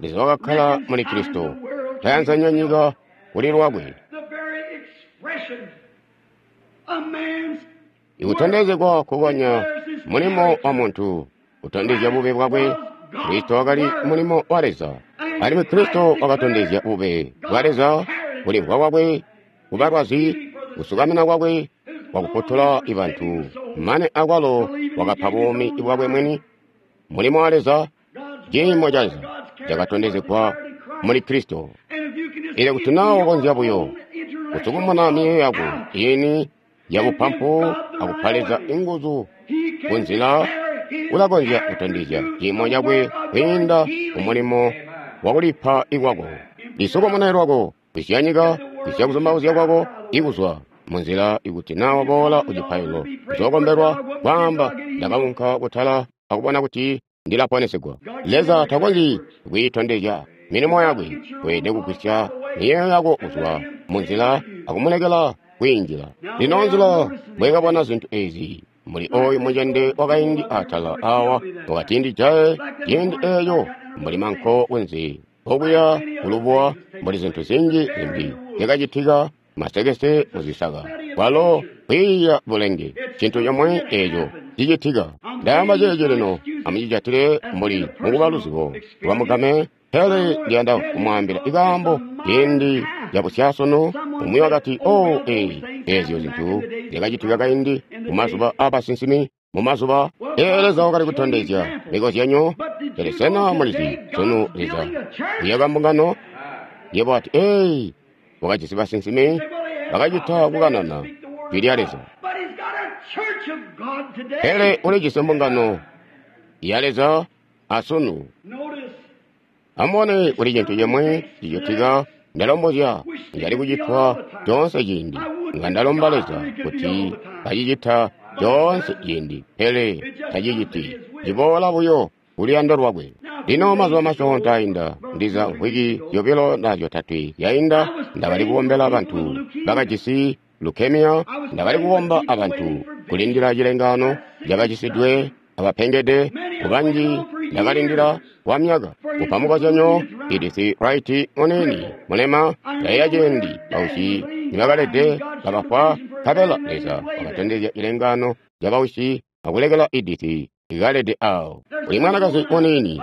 Leza wakakkala muli Kristo, tayanzanya nyika kuli lwakwe. Ikutondezegwa kukonya mulimo wa muntu kutondezya bube bwakwe. Kristo wakali mulimo wa Leza, alimwi Kristo wakatondezya bube bwa Leza, kulimvwa kwakwe, kubalwazi, kusukamina kwakwe kwakufutula ibantu, mane akwalo wakapa buumi bwakwe mwini. Mulimo wa Leza, ciimo ca Leza cakatondezegwa muli Kristo. Elyo kuti naa wakonzya buyo kusukumuna miyeeyo yako iini yabupampu akupa Leza inguzu kunzila, ulakonzya kutondezya ciimo cakwe kwiinda kumulimo wakulipa ikwako. Lisukumune lwako, kwisya nyika, kwisya kuzumbauzya kwako ikuzwa munzila. Ikuti naa waboola kucipailo uzookombelwa, kwaamba, ndakaunka kutala akubona kuti Ndila ponesegwa. Leza takonzyi kwiitondezya milimo yakwe. Weelede kugwisya miyeeyo yako kuzwa munzila akumulekela kwiinjila. Lino nzila mbwekabona zintu ezi mbuli oyu mucende wakaindi atala awa wakati ndijaye ciindi eeyo mbuli manko kunze okuya kulubuwa mbuli zintu zinji zimbi zyakacitika masekese muzisaka kwalo kwiiya bulenge cintu comwe eeco cicitika. Ndaamba ceeci lino amucijatile mbuli mukuba luzibo lwamugame, pele ndiyanda kumwaambila ikaambo ciindi cabusyasunu. Umwi wakati, "Oh, ee, eezyo zintu zyakacitika kaindi mumazuba aabasinsimi, mumazuba ee Leza wakali kutondezya mikozyanyo." Pele sena mulizi sunu Leza uyaka mbungano? Yebo wati, "Ee, wakajisi basinsimi bakacita kukanana jwi lya Leza." Pele ulijisi mbungano ya Leza asunu. Amubone kuli cintu cimwe cicitika. Ndalombozya njali kucitwa coonse ciindi. Nga ndalomba Leza kuti kacicita coonse ciindi, pele taciciti. Ciboola buyo kuluyando lwakwe. Lino mazuba masyoonto ainda, ndiza mvwiki zyobilo na zyotatwe zyainda, ndakali kukombela bantu bakajisi leukemia. Ndakali kukomba abantu kulindila cilengaano cakacisidwe abapengede kubanji. Ndakalindila kwa myaka. Kupa mukozyanyo, Edith Wright muniini mulema, ndayeeya ciindi bausyi nibakalede kabafwa, nkabela Leza wakatondezya cilengaano ca bausyi akulekela Edith ikalede awo. Kuli mwanakazi muniini,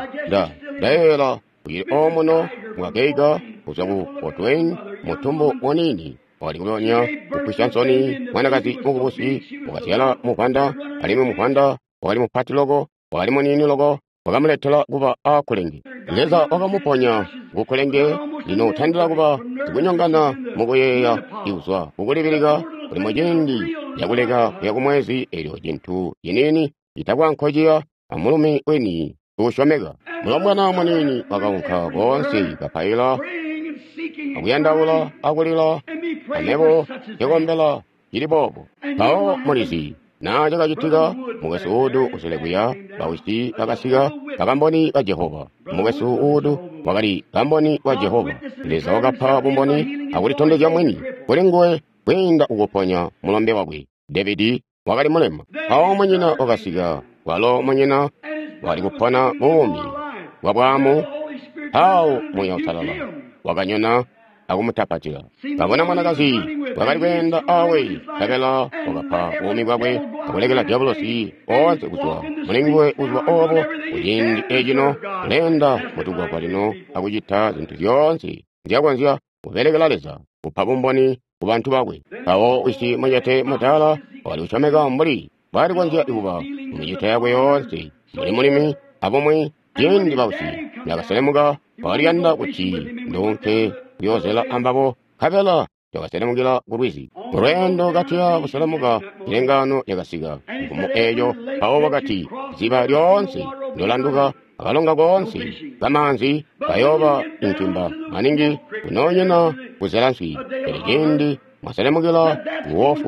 ndayeeyela ucili omuno mwakeiga kuzwa ku Fort Wayne, mutumbu muniini wakali kulonya kufwisya nsoni. Mwanakazi mukubusi wakazyala muvwanda, alimwi muvwanda wakali mupati loko, wakali muniini loko, wakamuletela kuba aakulenge. Leza wakamuponya kukulenge. Lino utandila kuba sikunyongana mukuyeeya ikuzwa kukulibilika kuli muciindi cakuleka kuya kumwezi, elyo cintu ciniini citakwa nkociya amulumi weni uusyomeka. Mulombwana muniini wakaunka koonse kapaila akuyandaula akulila, amebo nkekombela cili boobo. Mpawo mulizi naa cakacitika, mukwesu Wood usele kuya, bawisyi bakasika, bakamboni ba Jehova. Mukwesu Wood wakali kamboni wa Jehova. Leza wakapa bumboni akulitondezya mwini kuli nguwe kwiinda kukuponya mulombe wakwe David wakali mulema. Mpawo munyina wakasika, walo munyina wakali kupona buumi bwa bwaamu. Mpawo Muuya Uusalala wakanyona akumutapatila. Kabona mwanakazi wakali kweenda awe, nkabela wakapa buumi bwakwe akulekela diabolosi oonse kuzwa mulinguwe. Kuzwa obo kuciindi ecino uleenda mutugwagwa lino akucita zintu zyoonse nzyakonzya kubelekela Leza, kupa bumboni ku bantu bakwe. Mpawo wisi mucete mudaala wakali kusyomeka mbuli mbwaali konzya kuba mumicito yakwe yoonse, mbuli mulimi abumwi. Ciindi bausyi nibakaselemuka, wakaliyanda kuti nduunke kuyoozela ambabo, nkabela twakaselemukila ku lwizi. Mulweendo katuya kuselemuka, cilengaano lyakasika nkumu eeyo. Mpawo wakati, ziba lyoonse ndolanduka akalonga koonse kamaanzi kayooba intimba maningi kunoonyina kuzela nswi. Pele ciindi mwaselemukila ku Wolf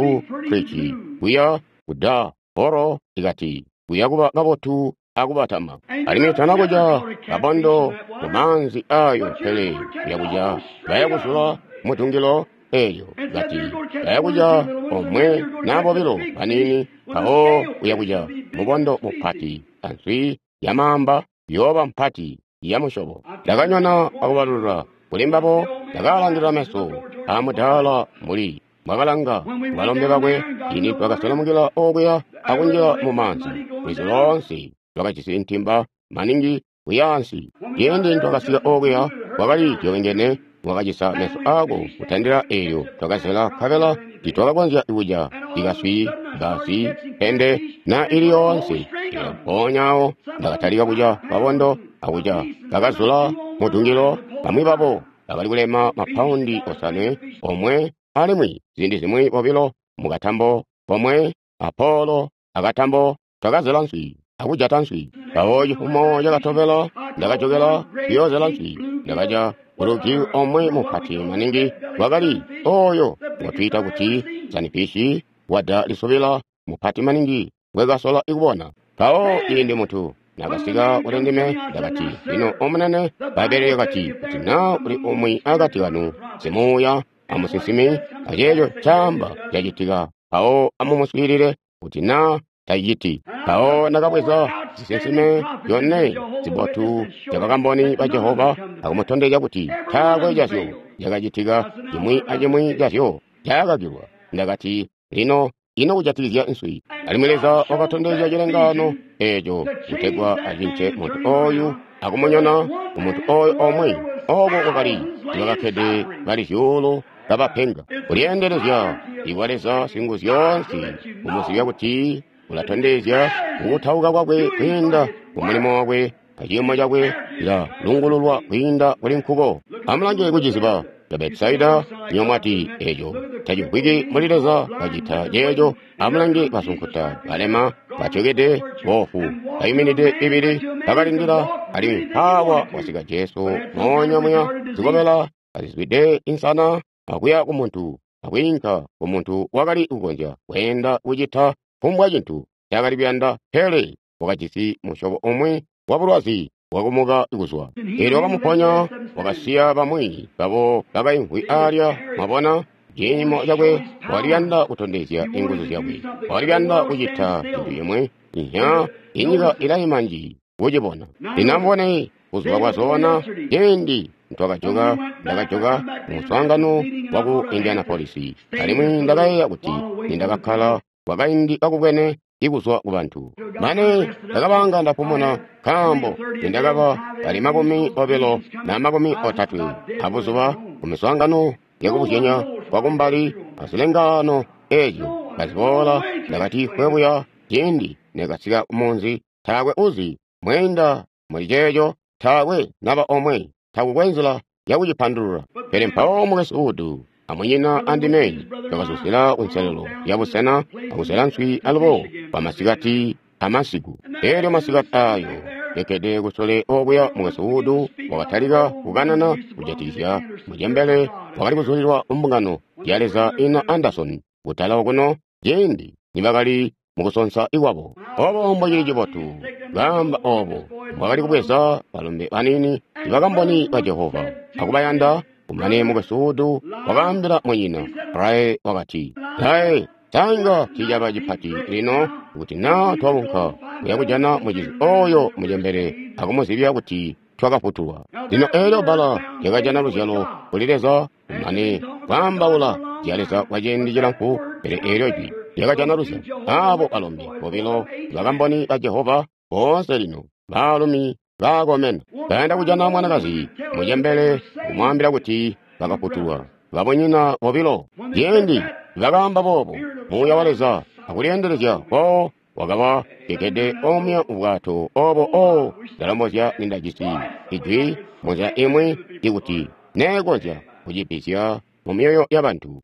Creek kuya ku Dar Horo, ikati kuya kuba kabotu akubatama. Alimwi tana kuca kabondo mumaanzi ayo, pele kuya kuca baya kuzula mutungilo eyo, kati baya kuca omwe na bobilo banini, mpawo kuya kuca mubondo mupati answi yamaamba yooba mpati ya musyobo. Ndakanyona akubalulula kuli mbabo, ndakaalangilila meso aamudaala mbuli mwakalanga balombe bakwe. Ini twakaselemukila okuya akunjila mumaanzi. Lwizi loonse lwakajisi ntimba maningi kuyaansi. Ciindi twakasika okuya kwakali zyobengene, wakacisa meso aako kutandila eelyo twakazela, nkabela titwakakonzya kuca ikaswi, basi, pende na ili yoonse. Elyo mpoonya awo ndakatalika kuca kabondo akuca kakazula mutungilo. Bamwi babo bakali kulema mapaundi 5 omwe, alimwi ziindi zimwi 2 mukatambo komwe, apolo akatambo. Twakazela nswi akujata nswi. Mpawo cifumo cakatobela ndakajokela kuyoozela nswi. Ndakaca ulugi omwe mupati maningi, wakali oyo ngotwiita kuti sanifishi, wada lisubila mupati maningi ngwekasola kubona. Mpawo ciindi muntu Nakasika kuli ndime, ndakati, lino omunene, Bbaibbele lyakati, kuti naa kuli umwi akati kanu simuuya amusinsimi, aceeco caamba cacitika, mpawo amumuswiilile kuti naa taciciti. Mpawo ndakabweza zisinsime zyone zibotu zya Bakamboni ba Jehova akumutondezya kuti taakwe cazyo cakacitika, cimwi acimwi cazyo cakakilwa. Ndakati, lino ino kujatikizya nswi? Alimwi Leza wakatondezya cilengaano eeco kutegwa acince muntu ooyu akumunyona kumuntu ooyo omwe. Ooko kwakali ibakakkede bali zyuulu kabapenga. Kulyeendelezya ikwa Leza Singuzyoonse kumuzibya kuti ulatondezya kukutauka kwakwe kwiinda kumulimo wakwe aciimo cakwe cilalungululwa kwiinda kuli nkuko. Amulange kuciziba ca Betisaida, nywebo mwati eeco tacimvwiki mbuli Leza kacita ceeco. Amulange basunkuta, balema, batyokede, boofu, bayuminide mibili bakalindila, alimwi mpaawa wasika Jesu moonya muya zikobela kazizwide insana akuya kumuntu akwiinka kumuntu wakali kukonzya kweenda kucita kufumbwa cintu ncaakali kuyanda, pele wakajisi musyobo umwi wabulwazi bwakumuka kuzwa. Eelyo wakamuponya, wakasiya bamwi babo bakaimvwi aalya. Mwabona ciimo cakwe, wakali kuyanda kutondezya inguzu zyakwe, wakali kuyanda kucita cintu cimwi. Inya inyika ilaima nji kucibona. Lino amubone buzuba bwazoona ciindi ntwakajoka, ndakajoka mumuswaangano waku Indianapolis, alimwi ndakayeeya kuti nindakakkala kwakaindi kakubwene ikuzwa kubantu. Mane ndakabanga ndapumuna, nkaambo nindakaba bali 20 na 30 abuzuba kumiswaangano yakubuzyanya kwakumbali azilengaano eezyo kaziboola. Ndakati fwe buya ciindi nekasika kumunzi, taakwe uzi mweenda muli ceeco, taakwe naba omwe, takukwe nzila yakucipandulula. Pele mpawo mukwesu Wood amunyina andime twakazuzila kunselelo yabusena akuzela nswi alubo kwamasikati amasiku. Eelyo masikati aayo nekkede kusule okuya, mukwesu Wood wakatalika kukanana kujatikizya mucembele wakali kuzulilwa mbungano ya Leza ina Anderson kutala okuno ciindi nibakali mukusonsa ikwabo. Obo mbocili cibotu kaamba obo mbwakali kubweza balombe baniini ibakamboni ba Jehova akubayanda. Kumane mukwesu Wood wakaambila munyina Ray, wakati, Ray, tanga ticaba cipati lino kuti naa twaunka kuya kujana mucizi oyo mucembele akumuzibya kuti twakafutulwa. Lino eelyo bbala lyakajana luzyalo kuli Leza, kumane kwaambaula zya Leza kwa ciindi cilamfu, pele eelyo jwi lyakajana luzyalo. Aabo balombe bobilo bakamboni ba Jehova boonse lino baalumi baakomena bayanda kujana mwanakazi mucembele kumwaambila kuti bakafutulwa. Babunyina bobilo ciindi bakaamba boobo, muuya wa Leza akulyeendelezya kwawo wakaba kekede omuya mubwato obo. O ndalombozya nindajisi ijwi munzila imwi ikuti neekonzya kucibisya mumyoyo yabantu.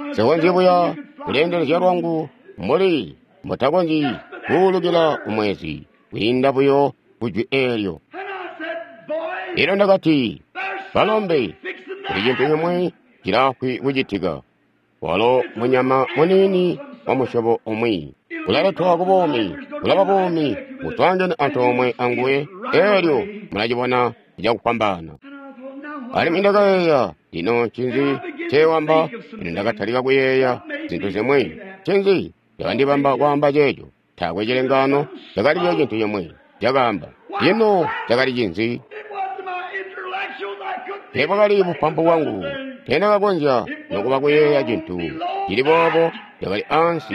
Nsikonzyi buya kulyeendelezya lwangu mbuli mbutakonzyi kuulukila kumwezi kwiinda buyo kujwi eelyo. Elyo ndakati, balombe, kuli cintu cimwi cilaafwi kucitika. Walo munyama muniini wa musyobo umwi ulaletwa kubuumi, ulaba buumi buswaangene antoomwe anguwe, eelyo mulacibona cakufwambaana. Alimwi ndakayeeya, lino ncinzi ncewamba? Lino ndakatalika kuyeeya zintu zimwi. Ncinzi cakandibamba kwaamba ceeco? Taakwe cilengaano, cakaliyo cintu cimwi cakaamba. Lino cakali cinzi? Teebwakali bupampu bwangu, teendakakonzya nokuba kuyeeya cintu cili boobo. Cakali ansi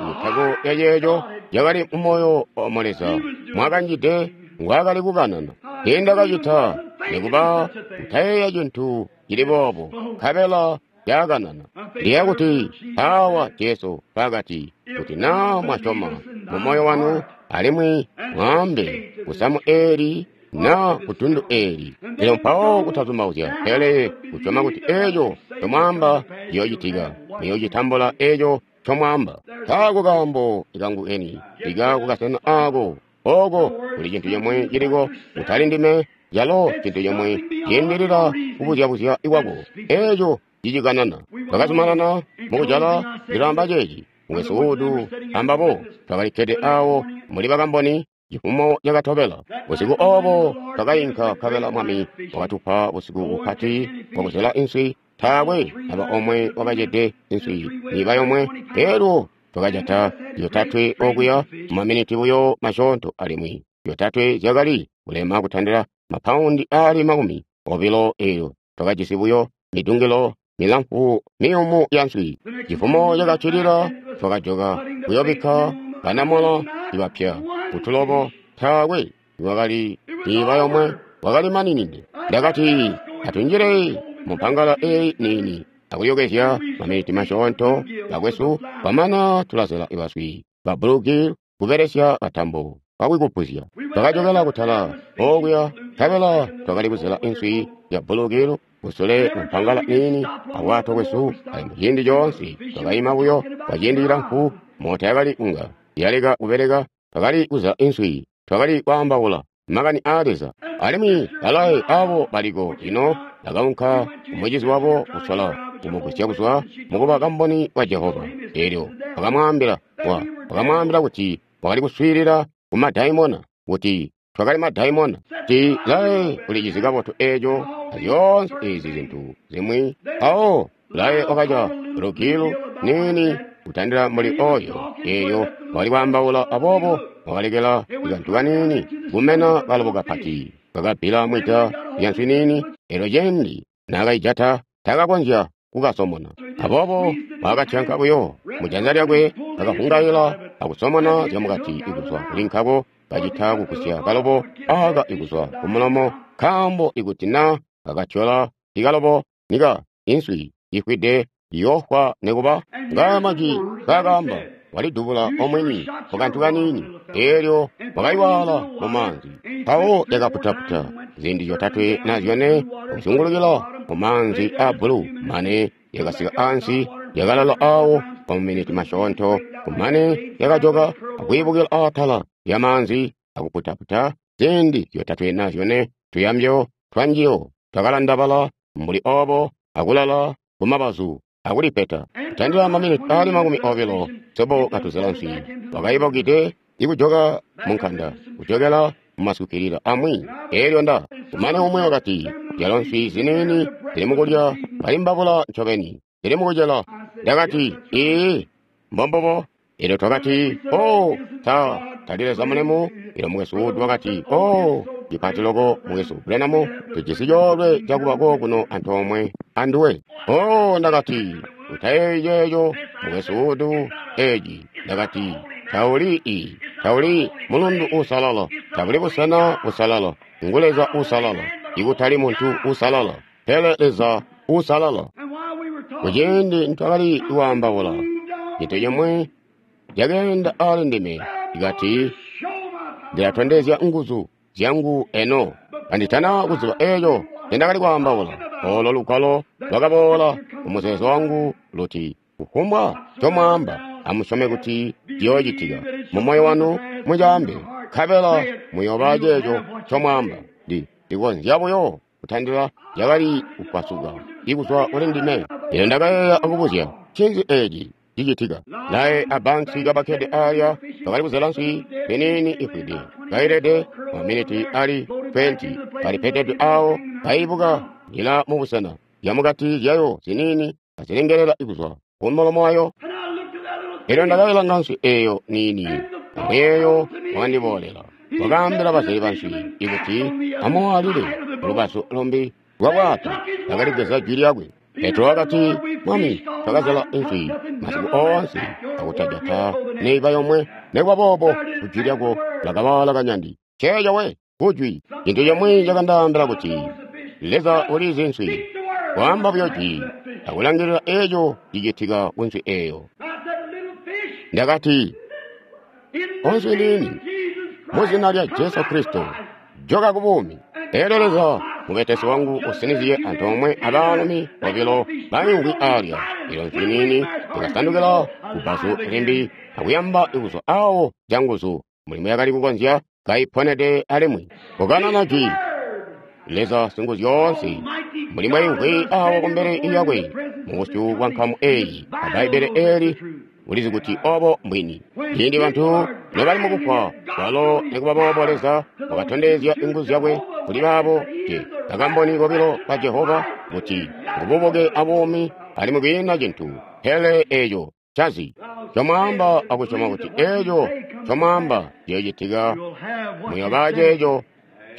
mutako ya ceeco cakali mumoyo wa Leza mwakanjide ngwaakali kukanana. Teendakacita nikuba kutayeeya cintu cili boobo, nkabela caakanana. Ndiyeeya kuti aawa Jesu mpaakati, kuti naa mwasyoma mumoyo wanu alimwi mwaambe kusamu eeli naa kutundu eeli, lino mpawo kutazumauzya, pele kusyoma kuti eeco ncomwaamba ciyoocitika, muyoocitambula eeco ncomwaamba. Nkaako kaambo kangu keni ika kukasena aako ooko kuli cintu cimwi ciliko kutali ndime, calo cintu cimwi ciindilila kubuzyabuzya kwako, eeco cicikanana. Twakazumanana mukujala, ndilaamba ceeci. Mukwesu Wood ambabo twakali kkede awo muli bakamboni. Cifumo cakatobela busiku obo twakainka nkabela Mwami wakatupa busiku bupati bwakuzela inswi. Taakwe naba omwe wakacede inswi niba yomwe. Elyo twakajata zyotatwe okuya mumaminiti buyo masyoonto, alimwi zyotatwe zyakali kulema kutandila mapaundi aali 20. Elyo twakajisi buyo midungilo milamfu miyumu ya nswi. Cifumo cakaccilila twakajoka kuyobikka banamola ibapya kutulobo. Taakwe niwakali niba yomwe, wakali maninide. Ndakati atunjile mumpangala eyi niini akuyokezya maminiti masyoonto bakwesu, kwamana tulazela ibaswi ba bluegill kubelesya katambo kakwikupuzya. Twakajokela kutala okuya nkabela twakali kuzela inswi ya bluegill kusule mumpangala niini abwato bwesu. Alimwi ciindi coonse twakaima buyo kwa ciindi cilamfu, moota yakali kunga yaleka kubeleka. Twakali kuzela inswi, twakali kwaambaula makani aa Leza. Alimwi balaye abo baliko lino bakaunka kumucizi wabo kusola kumugwisya kuzwa mukuba kamboni wa Jehova. Elyo wakamwaambila wakamwaambila kuti wakali kuswiilila ku madaimona, kuti twakali madaimona. Ti laye ulicizi kabotu eeco azyoonse ezi zintu zimwi. Mpawo laye wakaca lugilu niini kutandila muli oyo. Elyo wakali kwaambaula, aboobo wakalekela kantu kaniini kumena kalobo kapati kakabbila mwida lya nswi niini. Elyo cindi naakaijata takakonzya kukasomona, aboobo wakatyanka buyo mujanza lyakwe, kakavungaila akusomona zyamukati ikuzwa kuli nkako, kacita kugusya kalobo aka ikuzwa kumulomo, nkaambo ikuti na kakatyola ikalobo nika inswi ifwide iyofwa nikuba. Ngaya majwi kaakaamba, walidubula omwini kukantu kaniini, elyo wakayiwaala mumaanzi. Mpawo yakaputaputa ziindi zyotatwe na zyone kuzungulukila mumaanzi a bulu, mane yakasika ansi, yakalala awo kwa maminiti masyoonto, kumane yakajoka akwiibukila atala lyamaanzi akuputaputa ziindi zyotatwe na zyone. Tuyambyo twanjiyo twakalandabala mbuli obo akulala kumabazu akulipeta. Kutandila maminiti aali 20 sobo katuzela nswi, wakaibukide ikujoka munkanda kujokela mumasukilila amwi. Elyo nda kumane umwe wakati, zyalo nswi ziniini zili mukulya kalimbabula ncobeni zili mukucela. Ndakati, ii mbombobo. Elyo twakati, oh, ta tali Leza mulemu. Elyo Mukwesu Wood wakati, oh, cipati loko Mukwesu Branham, tujisi coolwe cakuba kokuno antoomwe anduwe. Oh, ndakati, utayeeyi ceeco Mukwesu Wood, eci. Ndakati, tauli mulundu uusalala, tabuli busena busalala, ngu Leza uusalala, ikutali muntu uusalala, pele Leza uusalala. Kuciindi ntwakali kwaambaula, cintu cimwi cakeenda aali ndime, ikati, ndilatondezya nguzu zyangu eno. Kanditana kuziba eeco ncendakali kwaambaula, olo lugwalo lwakaboola kumuzeezo wangu luti, kufumbwa ncomwaamba, amusyome kuti ciyoocitika. Mumoyo wanu mucaambe, nkabela muyooba ceeco ncomwaamba. Ndikonzya buyo kutandila cakali kupasuka ikuzwa kuli ndime. Elyo ndakayeeya akubuzya, ncinzi eeci cicitika? Laye a Banks kabakkede aalya bakali kuzela nswi miniini ifwide, kailede maminiti ali 20, kalipetedwe awo, kaibuka njila mubusena zyamukati zyayo ziniini kazilengelela ikuzwa kumulomo wayo. Elyo ndakailanga nswi eeyo niini, amuyeeyo wakandiboolela. Wakaambila bazeli banswi ikuti amuwaalile kulubazu lumbi lwa bwato. Bakaligweza jwi lyakwe. Petro wakati, Mwami, twakazela inswi masiku oonse akutajata neiba yomwe, nekuba boobo kujwi lyako lakawaala kanyandi. Ceeco we kujwi. Cintu cimwi cakandaambila kuti Leza ulizi nswi, kwaamba buyo jwi akulangilila eeco cicitika kunswi eeyo. Ndakati, onswi niini, muzina lya Jesu Kristo, joka kubuumi. Elyo Leza mubetesi wangu usiniziye antoomwe abaalumi bobilo baimvwi aalya. Elyo nswi niini yakasandukila kubbazu limbi akuyamba ikuzwa awo canguzu mulimo yakali kukonzya kaiponede alimwi. Kukanana jwi Leza Singuzyoonse mbuli mwaimvwi awo kumbele yakwe mubusyu bwa nkamu eeyi, a Bbaibbele eeli Ulizi kuti obo mbwini. Ciindi bantu nobali mukufwa, walo nekubaboobo Leza wakatondezya inguzu zyakwe kuli baabo te bakamboni bobilo ba Jehova kuti ngububuke abuumi alimwi kwiina cintu pele eeco cazi. Comwaamba akusyoma kuti eeco comwaamba ciyoocitika, muyooba ceeco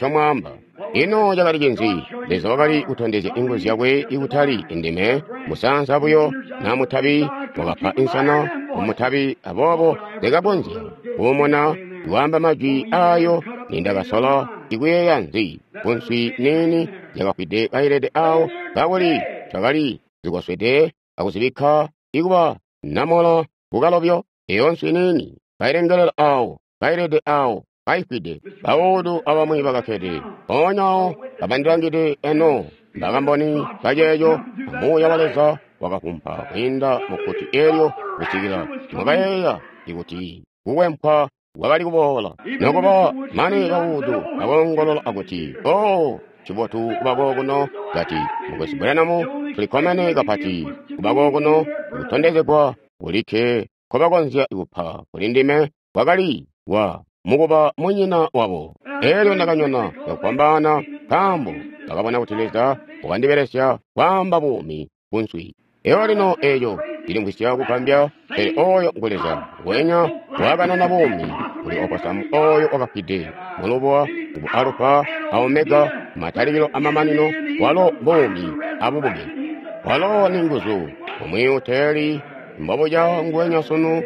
comwaamba. Ino cakali cinzi? Leza wakali kutondezya inguzu zyakwe ikutali indime musaansa buyo na mutabi wakapa insana mutabi, aboobo ndakakonzya kuumuna iwaamba majwi ayo nindakasola ikuyeeya nzi kunswi niini yakafwide kailede awo kakuli twakali zikoswede akuzibikka ikuba namola kukalobyo. Eyo nswi niini kailengelela awo kailede awo kaifwide. Baudu abamwi bakakkede mpoonya awo kabandilangide eno bakamboni baceeco. Muuya wa Leza wakafumpa kwiinda mukkuti eelyo kusikila mwakayeeya ikuti kukwempwa kwakali kuboola. Nokuba mane Baudu bakoongolola akuti, "Oh, cibotu kuba kokuno!" Kati, "Mukwesu Branham, tulikkomene kapati kuba kokuno." Kutondezegwa kulikke nkobakonzya kupa kuli ndime kwakali wa mukuba munyina wabo. Eelyo ndakanyona cakufwambaana nkaambo ndakabona kuti Leza wakandibelesya kwaamba buumi kunswi. Eyo lino eeco cilimvwisya kugambya, pele oyo ngu Leza nguwenya wakanana buumi kuli oposamu oyo wakafwide mulubuwa ku Alufa a Omega, matalikilo amamanino, walo buumi abubuke. Walo ni nguzu, umwi uteeli mbobuca nguwenya sunu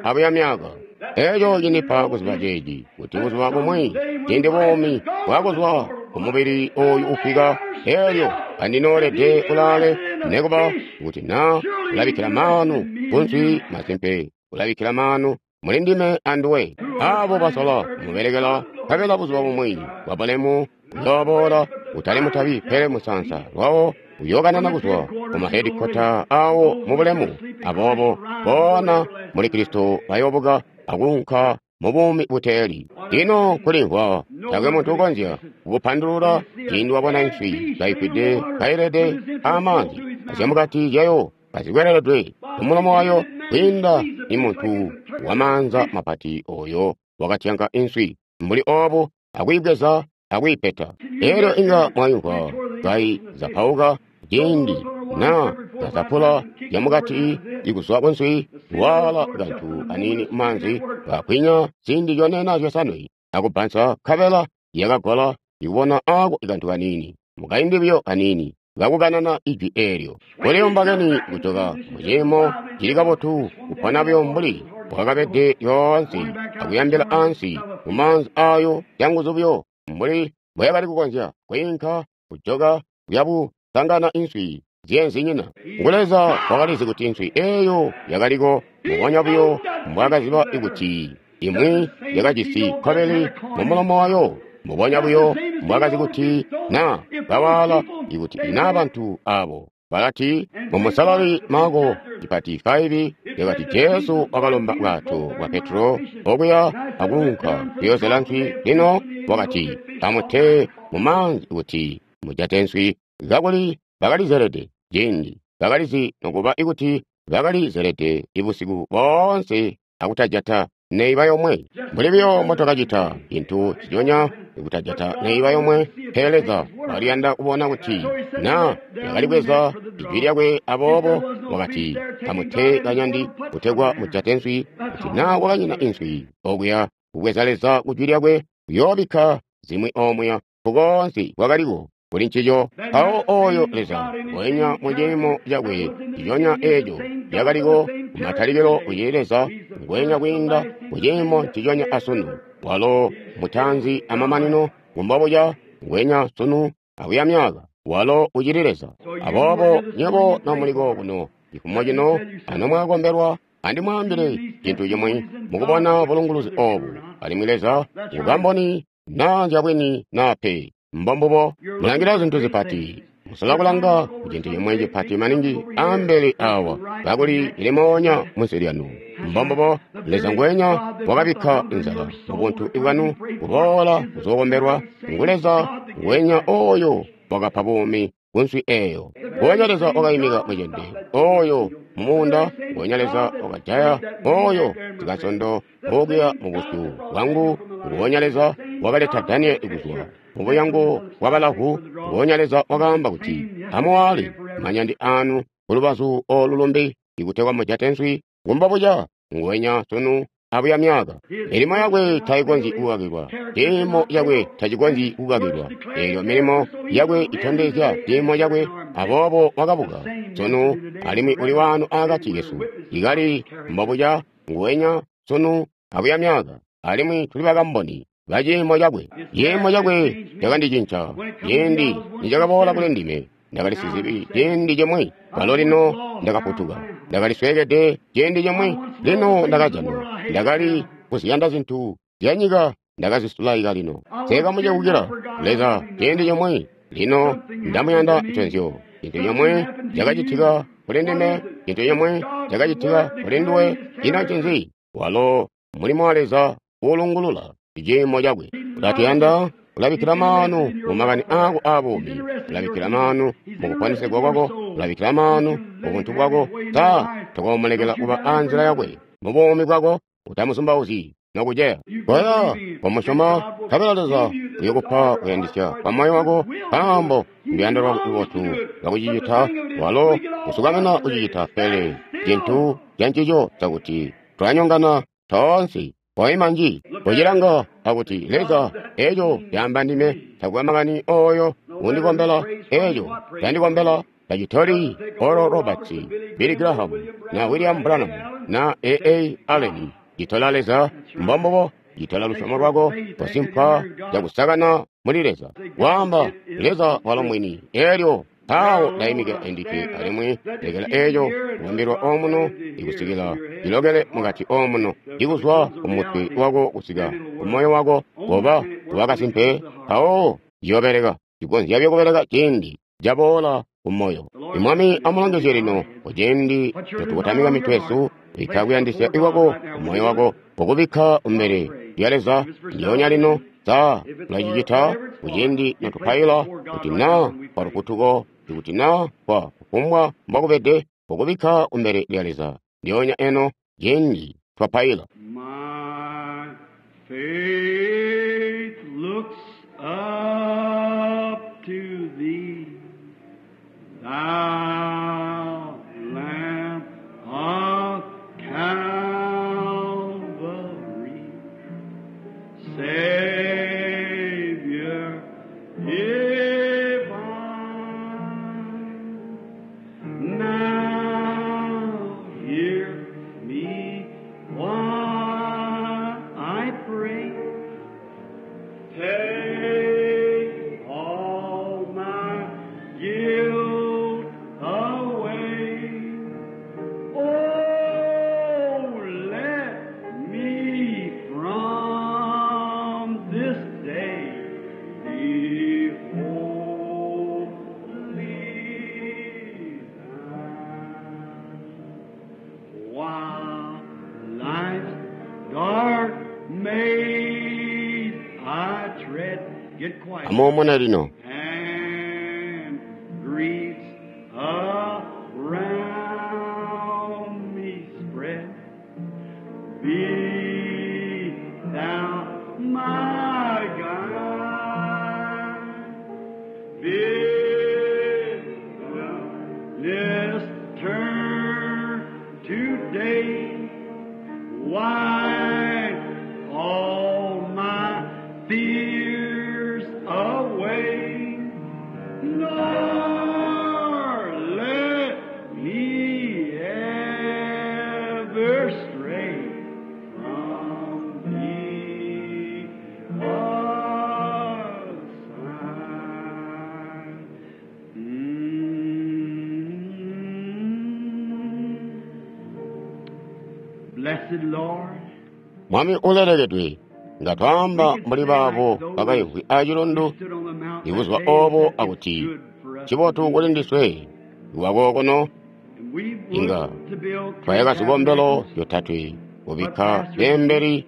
abuya myaka. Eeco cindipa kuziba ceeci, kuti buzuba bumwi ciindi buumi bwakuzwa kumubili oyu ufwika, eelyo kandinoolede kulaale, nekuba kuti naa ulabikkila maanu kunswi, masimpe ulabikkila maanu muli ndime anduwe. Aabo basola kumubelekela, nkabela buzuba bumwi bwa bulemu buyooboola, utali mutabi pele musaansa lwawo uyookanana kuzwa ku mahedikkota awo mu bulemu. Aboobo boona muli Kristo bayoobuka akuunka mu buumi buteeli. Ino kulimvwa taakwe muntu ukonzya kukupandulula ciindi wabona nswi kaifwide kailede amaanzi azyamukati zyayo kazikwereledwe kumulomo wayo kwiinda ni muntu wamaanza mapati oyo wakatyanka inswi mbuli obu akuyibweza akuyipeta. Eelyo inga mwayumvwa kaizapauka ciindi na kazapula zyamukati ikuzwa kunswi, waala kantu aniini mumaanzi kakwinya ziindi zyone na zyosanwe akubbansa, nkabela yakagola ikubona aako kantu kaniini mukaindi buyo kaniini kakukanana ijwi eelyo. Kuliyumba keni kujoka muciimo cili kabotu, kupona buyo mbuli bwakabede lyoonse akuyambila ansi mumaanzi ayo canguzu buyo mbuli mbwayakali kukonzya kwiinka kujoka kuyabusangana inswi zyenzinyina. Ngu Leza wakalizi kuti inswi eeyo yakaliko mukonya buyo mbwaakaziba kuti imwi yakajisi kkobeli mumulomo wayo, mubonya buyo mbwaakazi kuti na bawaala ikuti ina bantu abo balati mumusalali Marko cipati 5 yakati Jesu wakalomba bwato bwa Petro okuya akuunka kuyoozela nswi. Lino wakati amute mumaanzi kuti mujate nswi, kakuli bakalizelede ciindi bakalizi nokuba ikuti bakalizelede ibusiku boonse akutajata neiba yomwe. Mbuli buyo mbotwakacita cintu nciconya ikutajata neiba yomwe, pele Leza waliyanda kubona kuti na yakalibweza ijwi lyakwe. Aboobo wakati amute kanyandi kutegwa mujate nswi, kuti na wakanyina inswi okuya kubweza Leza kujwi lyakwe kuyoobikka zimwi omuya nkukoonse kwakaliko kuli ncico. Mpawo oyo Leza wenya muciimo cakwe nciconya eeco lyakaliko kumatalikilo ucili Leza ngwenya kwiinda muciimo nciconya asunu. Walo mutaanzi amamanino, ngumbobuca ngwenya sunu akuya myaka. Walo ucili Leza. Aboobo nywebo nomuliko kuno cifumo cino anomwakombelwa, andimwaambile cintu cimwi mukubona bulunguluzi oobu, alimwi Leza ngukamboni naa nzyabwini naa pe. Mbombubo mulangila zintu zipati, musola kulanga kucintu cimwi cipati maningi ambele awa kakuli cili moonya munsi lyanu. Mbombubo Leza ngwenya wakabikka inzala mubuntu bwanu kuboola kuzookombelwa. Ngu Leza ngwenya oyo wakapa buumi kunswi eeyo. Ngwenya Leza wakayimika mucende oyo mumuunda, nguwenya Leza wakajaya oyo sikasondo okuya mu busyu bwangu, nguwonya Leza wakaleta Danieli kuzwa mu buyango bwa balavu, nguwonya Leza wakaamba kuti, amuwaale manyandi anu kulubazu olu lumbi ikutegwa mujate nswi, ngumbobuca nguwenya sunu abuya myaka. Milimo yakwe taikonzyi kukakilwa, ciimo cakwe tacikonzyi kukakilwa. Eelyo milimo yakwe itondezya ciimo cakwe, aboobo wakabuka sunu alimwi uli waano akati kesu. Ikali mbobuca nguwenya sunu abuya myaka, alimwi tuli bakamboni ba ciimo cakwe. Ciimo cakwe cakandicinca ciindi nicakaboola kuli ndime. Ndakali sizibi ciindi cimwi, kwalo lino ndakafutuka. Ndakali sweekede ciindi cimwi, lino ndakajanwa. Ndakali kuziyanda zintu zyanyika, ndakazisulaika lino. Nsekamucebukila Leza ciindi cimwi, lino ndamuyanda nconzyo. Cintu cimwi cakacitika kuli ndime, cintu cimwi cakacitika kuli nduwe. Ino ncinzi? Walo mulimo wa Leza uulungulula ciimo cakwe. Ulatuyanda, ulabikkila maanu mu makani aako aabuumi, ulabikkila maanu mu kuponesegwa kwako, ulabikkila maanu mu buntu bwako. Ta tokoomulekela kuba anzila yakwe mu buumi bwako, utamuzumbauzyi nokuceya. Koya komusyoma, nkabela Leza uyokupa kuyandisya kwa moyo wako, nkaambo nduyando lwakwe lubotu lwakucicita. Walo usukamina kucicita, pele cintu cancico cakuti twanyongana toonse. Koima nji, kucilanga akuti Leza eco caamba ndime, takwe makani oyo undikombela, eco candikombela tacitoli Oral Roberts, Billy Graham, na William Branham, na A.A. Allen. Citola Leza, mbombubo, citola lusyomo lwako kosimpa cakusakana muli Leza. Waamba Leza walo mwini, elyo mpawo ndaimikila endikke alimwi lekela eco kubambilwa omuno ikusikila cilokele mukati omuno, ikuzwa kumutwe wako kusika kumoyo wako, koba wakasimpe, mpawo ciyobeleka. Cikonzya kubeleka ciindi caboola kumoyo. Imwami amulongezye lino kuciindi notukotamika mitwe yesu, bikka kuyandisya ikwako kumoyo wako, kukubikka kumbele lya Leza ndyoonya lino. Sa tulacicita kuciindi notupaila, kuti naa kwa lufutuko, ikuti naa kwa kufumbwa mbokubede, kukubikka kumbele lya Leza ndyoonya eno ciindi twapaila. My faith looks up to thee, thou Lamb of Calvary, Savior divine. Now hear me while I pray. Take all my guilt away. Oh, let me from this day be wholly thine. While life's dark maze I tread, get quiet. Amuumune lino. And griefs around me spread. Be thou my guide. Bid thou this turn today. Wipe all my fears away. Nor let me ever stray from thee aside. Blessed Lord, Mwami ulelekedwe, nga twaamba mbuli baabo bakaimvwi acilundu stood on the mountain ibuzuba that day and obo said, "It's akuti good for us cibotu kuli ndiswe iwakokono And we would inga to build three twayaka zikombelo tabernacles, zyotatwe kubikka bembeli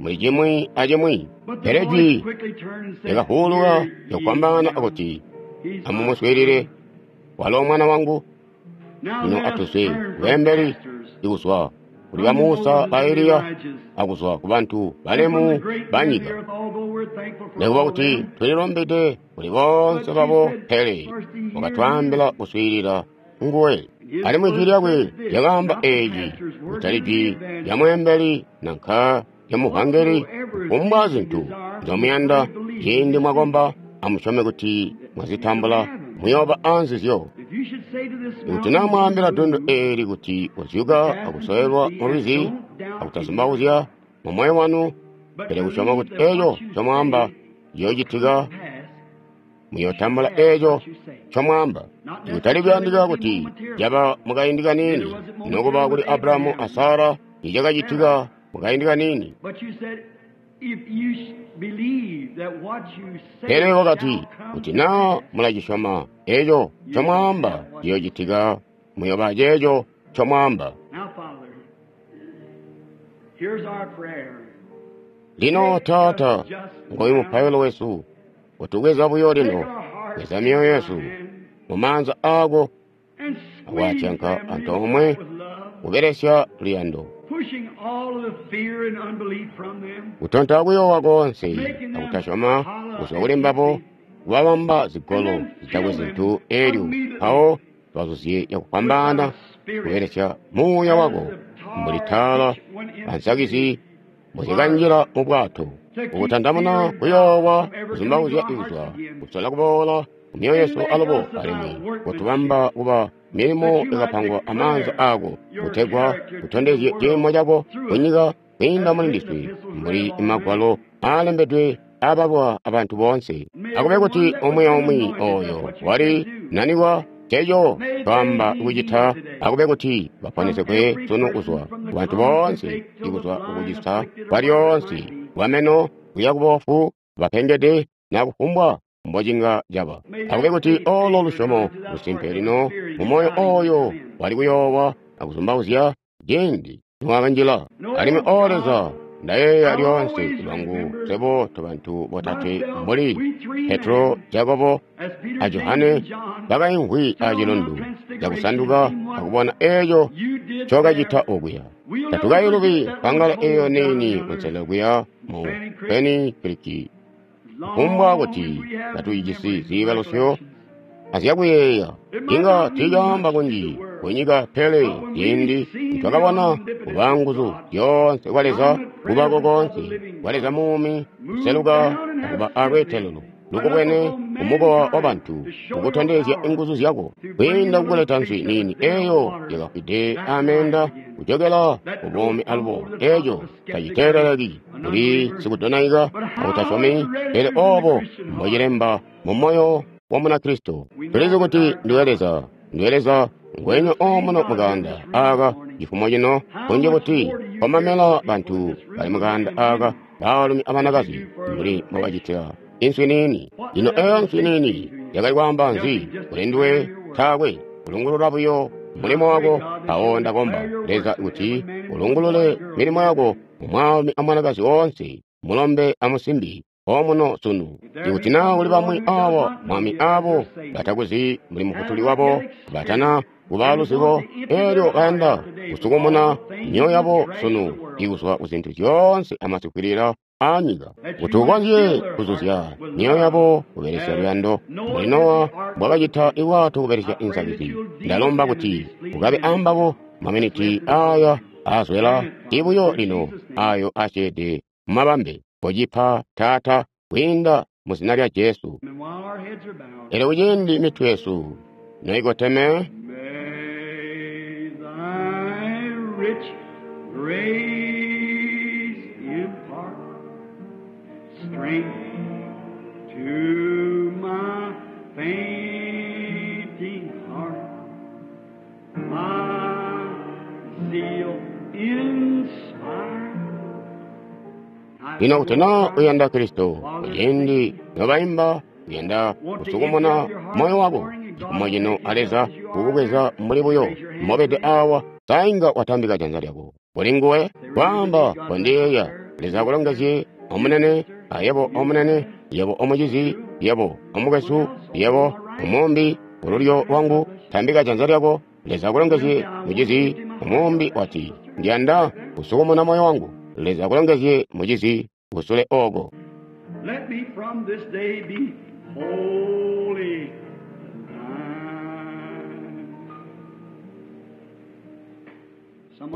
muli cimwi acimwi. But the Pele voice jwi quickly turned and said, lyakahuluka "Hear ye lyakufwambaana him. akuti He's my amumuswiilile, son." walo mwana wangu. Lino atuzwe kubeembeli, ikuzwa kuli ba Musa, ba Eliya, akuzwa kubantu balemu banyika. Nikuba kuti tulilumbide kuli boonse babo, pele wakatwaambila kuswiilila nguwe. Alimwi jwi lyakwe lyakaamba eeci, kutali jwi lya mweembeli nanka lya muvangeli. Kufumbwa zintu nzyomuyanda ciindi mwakomba, amusyome kuti mwazitambula, muyooba anzizyo. Ikuti naa mwaambila dundu eeli kuti kozyuka akusowelwa mulwizi, akutazumbauzya mumoyo wanu, pele kusyoma kuti eeco ncomwaamba ciyoocitika, muyootambula eeco ncomwaamba. Ikutali kuyandika kuti caba mukaindi kaniini, nokuba kuli Abrahamu a Sara icakacitika mukaindi kaniini. Pele wakati, kuti naa mulacisyoma eeco ncomwaamba ciyoocitika, muyooba ceeco ncomwaamba. Lino Taata, ngoyu mupailo wesu. Utubweza buyo lino, bweza myoyo yesu mumaanza aako akwatyanka antoomwe kubelesya luyando, kutonta kuyoowa koonse akutasyoma kuzwa kuli mbabo, kubabamba zigolo zitakwe zintu eelyo mpawo bazuzye cakufwambaana kubelesya muuya wako mbuli taala ansakizi mbuzikanjila mu bwato, ukutandamuna kuyoowa kuzumbauzya ikuzwa kusola kuboola kumyoyo yesu alubo, alimwi kutubamba kuba milimo yakapangwa amaanza aako, kutegwa utondezye ciimo cako kunyika kwiinda muli ndiswe, mbuli magwalo aalembedwe aabalwa abantu boonse. Akube kuti umwi aumwi ooyo wali nanikwa ceeco twaamba kucita, akube kuti baponesegwe sunu kuzwa kubantu boonse, ikuzwa kukucisa kwalyoonse kwameno kuya kuboofu, bapengede na kufumbwa mbocinga caba. Akube kuti olo lusyomo lusimpe lino mumoyo ooyo wali kuyoowa akuzumbauzya ciindi niwakanjila. Alimwi O Leza, ndayeeya lyoonse lwangu swebo tobantu botatwe mbuli Petro, Jakobo a Johane bakaimvwi acilundu cakusanduka akubona eeco ncokacita okuya. Tatukayilubi mpangala eeyo niini kunselelo kuya mu Peni Creek. Kufumbwa kuti katujisi ziibalusyo azyakuyeeya, inga tiicaamba kunji kunyika, pele ciindi nitwakabona kuba nguzu zyoonse kwa Leza, kubako koonse kwa Leza muumi, kuseluka akuba alweetelelo lukubwene kumukowa wabantu, kukutondezya inguzu zyako kwiinda kukuleta nswi niini eeyo yakafwide amenda kujokela kubuumi alubo. Eeco taciteeleleki kuli sikudonaika akutasyomi, pele oobo mbocilemba mumoyo wa Munakristo. Tulizi kuti ndiwe Leza, ndiwe Leza ngwenya omuno mukaanda aaka cifumo cino, kunji kuti komamela bantu bali mukaanda aaka, baalumi abanakazi, mbuli mbobacitila inswi niini. Lino eeyo nswi niini yakali kwaamba nzi kuli nduwe? Taakwe kulungulula buyo mulimo wako. Mpawo ndakomba Leza kuti ulungulule milimo yako mumwaalumi amwanakazi woonse, mulombe amusimbi omuno sunu. Ikuti naa kuli bamwi aabo mwami aabo batakuzi mbuli mufutuli wabo, batana kuba luzibo, eelyo bayanda kusukumuna myoyo yabo sunu ikuzwa kuzintu zyoonse amasikwilila aanyika, kuti ukonzye kuzuzya myoyo yabo kubelesya luyando mbuli Nowa mbwakacita ibwato kubelesya insakizi. Ndalomba kuti ukabe ambabo maminiti aaya aazwela ibuyo lino ayo asyeede mumabambe. Kocipa Taata, kwiinda mu zina lya Jesu. Elyo kuciindi mitwe yesu noikoteme, May thy rich grace impart strength to my fainting heart, my zeal inspire. Lino kuti naa uyanda Kristo, kuciindi nobaimba uyanda kusukumuna moyo wako cifumo cino a Leza kukubweza mbuli buyo mobede awa, sainga watambika janza lyako kuli nguwe kwaamba, kondiyeeya. Leza akulongezye omunene, ayebo omunene, yebo omucizi, yebo omukwesu, yebo omumbi kululyo lwangu, tambika janza lyako. Leza akulongezye, mucizi. Umumbi wati, Ndiyanda kusukumuna moyo wangu. Leza akulongezye, mucizi, kusule oko. Let me from this day be holy.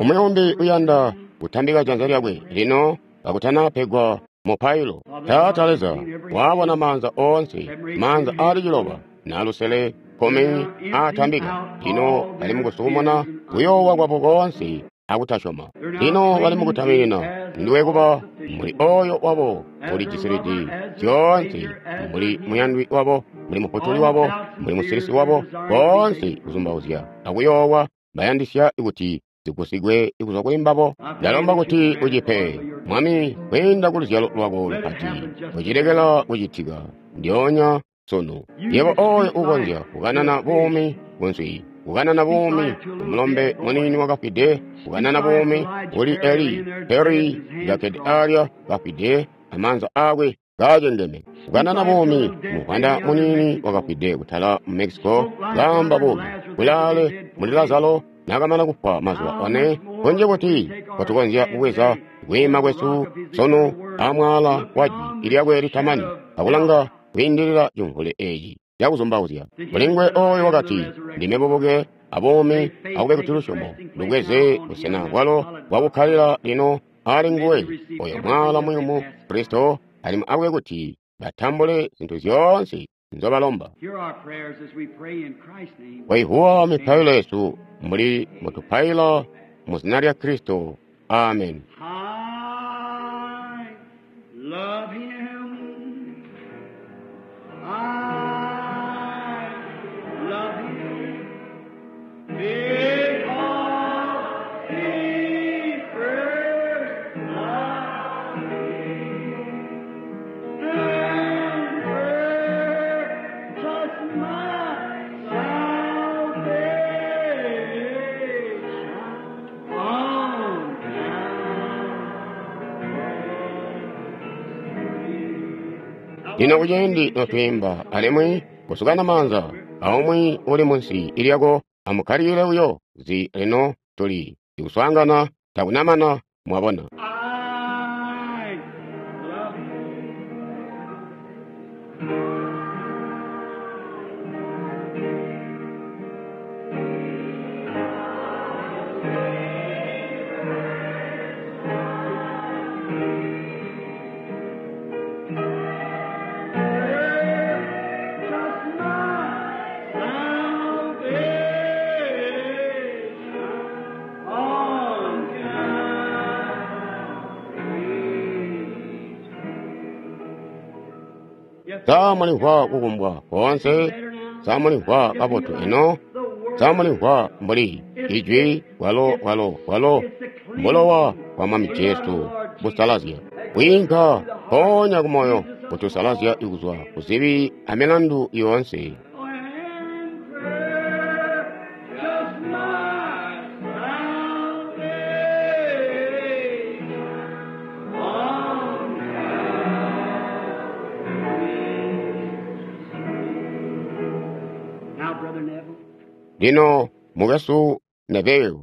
Umwi umbi uyanda kutambika janza lyakwe lino kakutanapegwa mupailo. Taata Leza, wabona maanza oonse, maanza aali 9 na 5 10 aatambika. Lino bali mukusukumuna kuyoowa kwabo koonse akutasyoma. Lino bali mukutaminina nduwe kuba muli oyo wabo ulijisilidi zyoonse, muli muyandwi wabo, muli mufutuli wabo, muli musilisi wabo, boonse kuzumbauzya akuyoowa bayandisya kuti zigusigwe kuzwa kuli mbabo. Ndalomba kuti ucipe, Mwami, kwiinda ku luzyalo lwako lupati, kucilekela kucitika ndyoonya sunu. Yebo oyo ukonzya kukanana buumi kunswi, kukanana buumi kumulombe muniini wakafwide, kukanana buumi kuli Eli Peri kakkede alya kafwide amaanza akwe kaacengeme, kukanana buumi muvwanda muniini wakafwide kutala mu Mexico, kaamba buumi kulaale muli Lazaro nakamana kufwa mazuba 4. Kunji kuti kwatukonzya kubweza kwiima kwesu sunu amwaala wa jwi lyakwe litamani akulanga kwiindilila cimvule eci cakuzumbauzya. Kulingwe oyo wakati, Ndime bubuke abuumi, akube kuti lusyomo lubweze busena bwalo bwakukkalila lino ali nguwe oyo mwaala muyumu Kristo, alimwi akube kuti batambule zintu zyoonse nzobalomba. Hear our prayers as we pray in Christ's name. Waihuwa mipailo yesu mbuli mutupaila mu zina lya Kristo. Amen. I love him. I love him. Because he first loved me and purchased my salvation on Lino kuciindi notwiimba alimwi kusukana maanza aumwi uli munsi ilyako, amukkalile buyo zi lino tuli tikuswaangana takunamana mwabona. I love him. Just my salvation on Calvary. Samulimvwa kukumbwa koonse, samulimvwa kabotu eno, samulimvwa mbuli ijwi walo walo walo mbulowa bwa Mwami Jesu busalazya bwiinka mpoonya kumoyo butusalazya kuzwa kuzibi amilandu yoonse. Just my salvation on Calvary. Now, Brother Neville. Lino mukwesu Neville.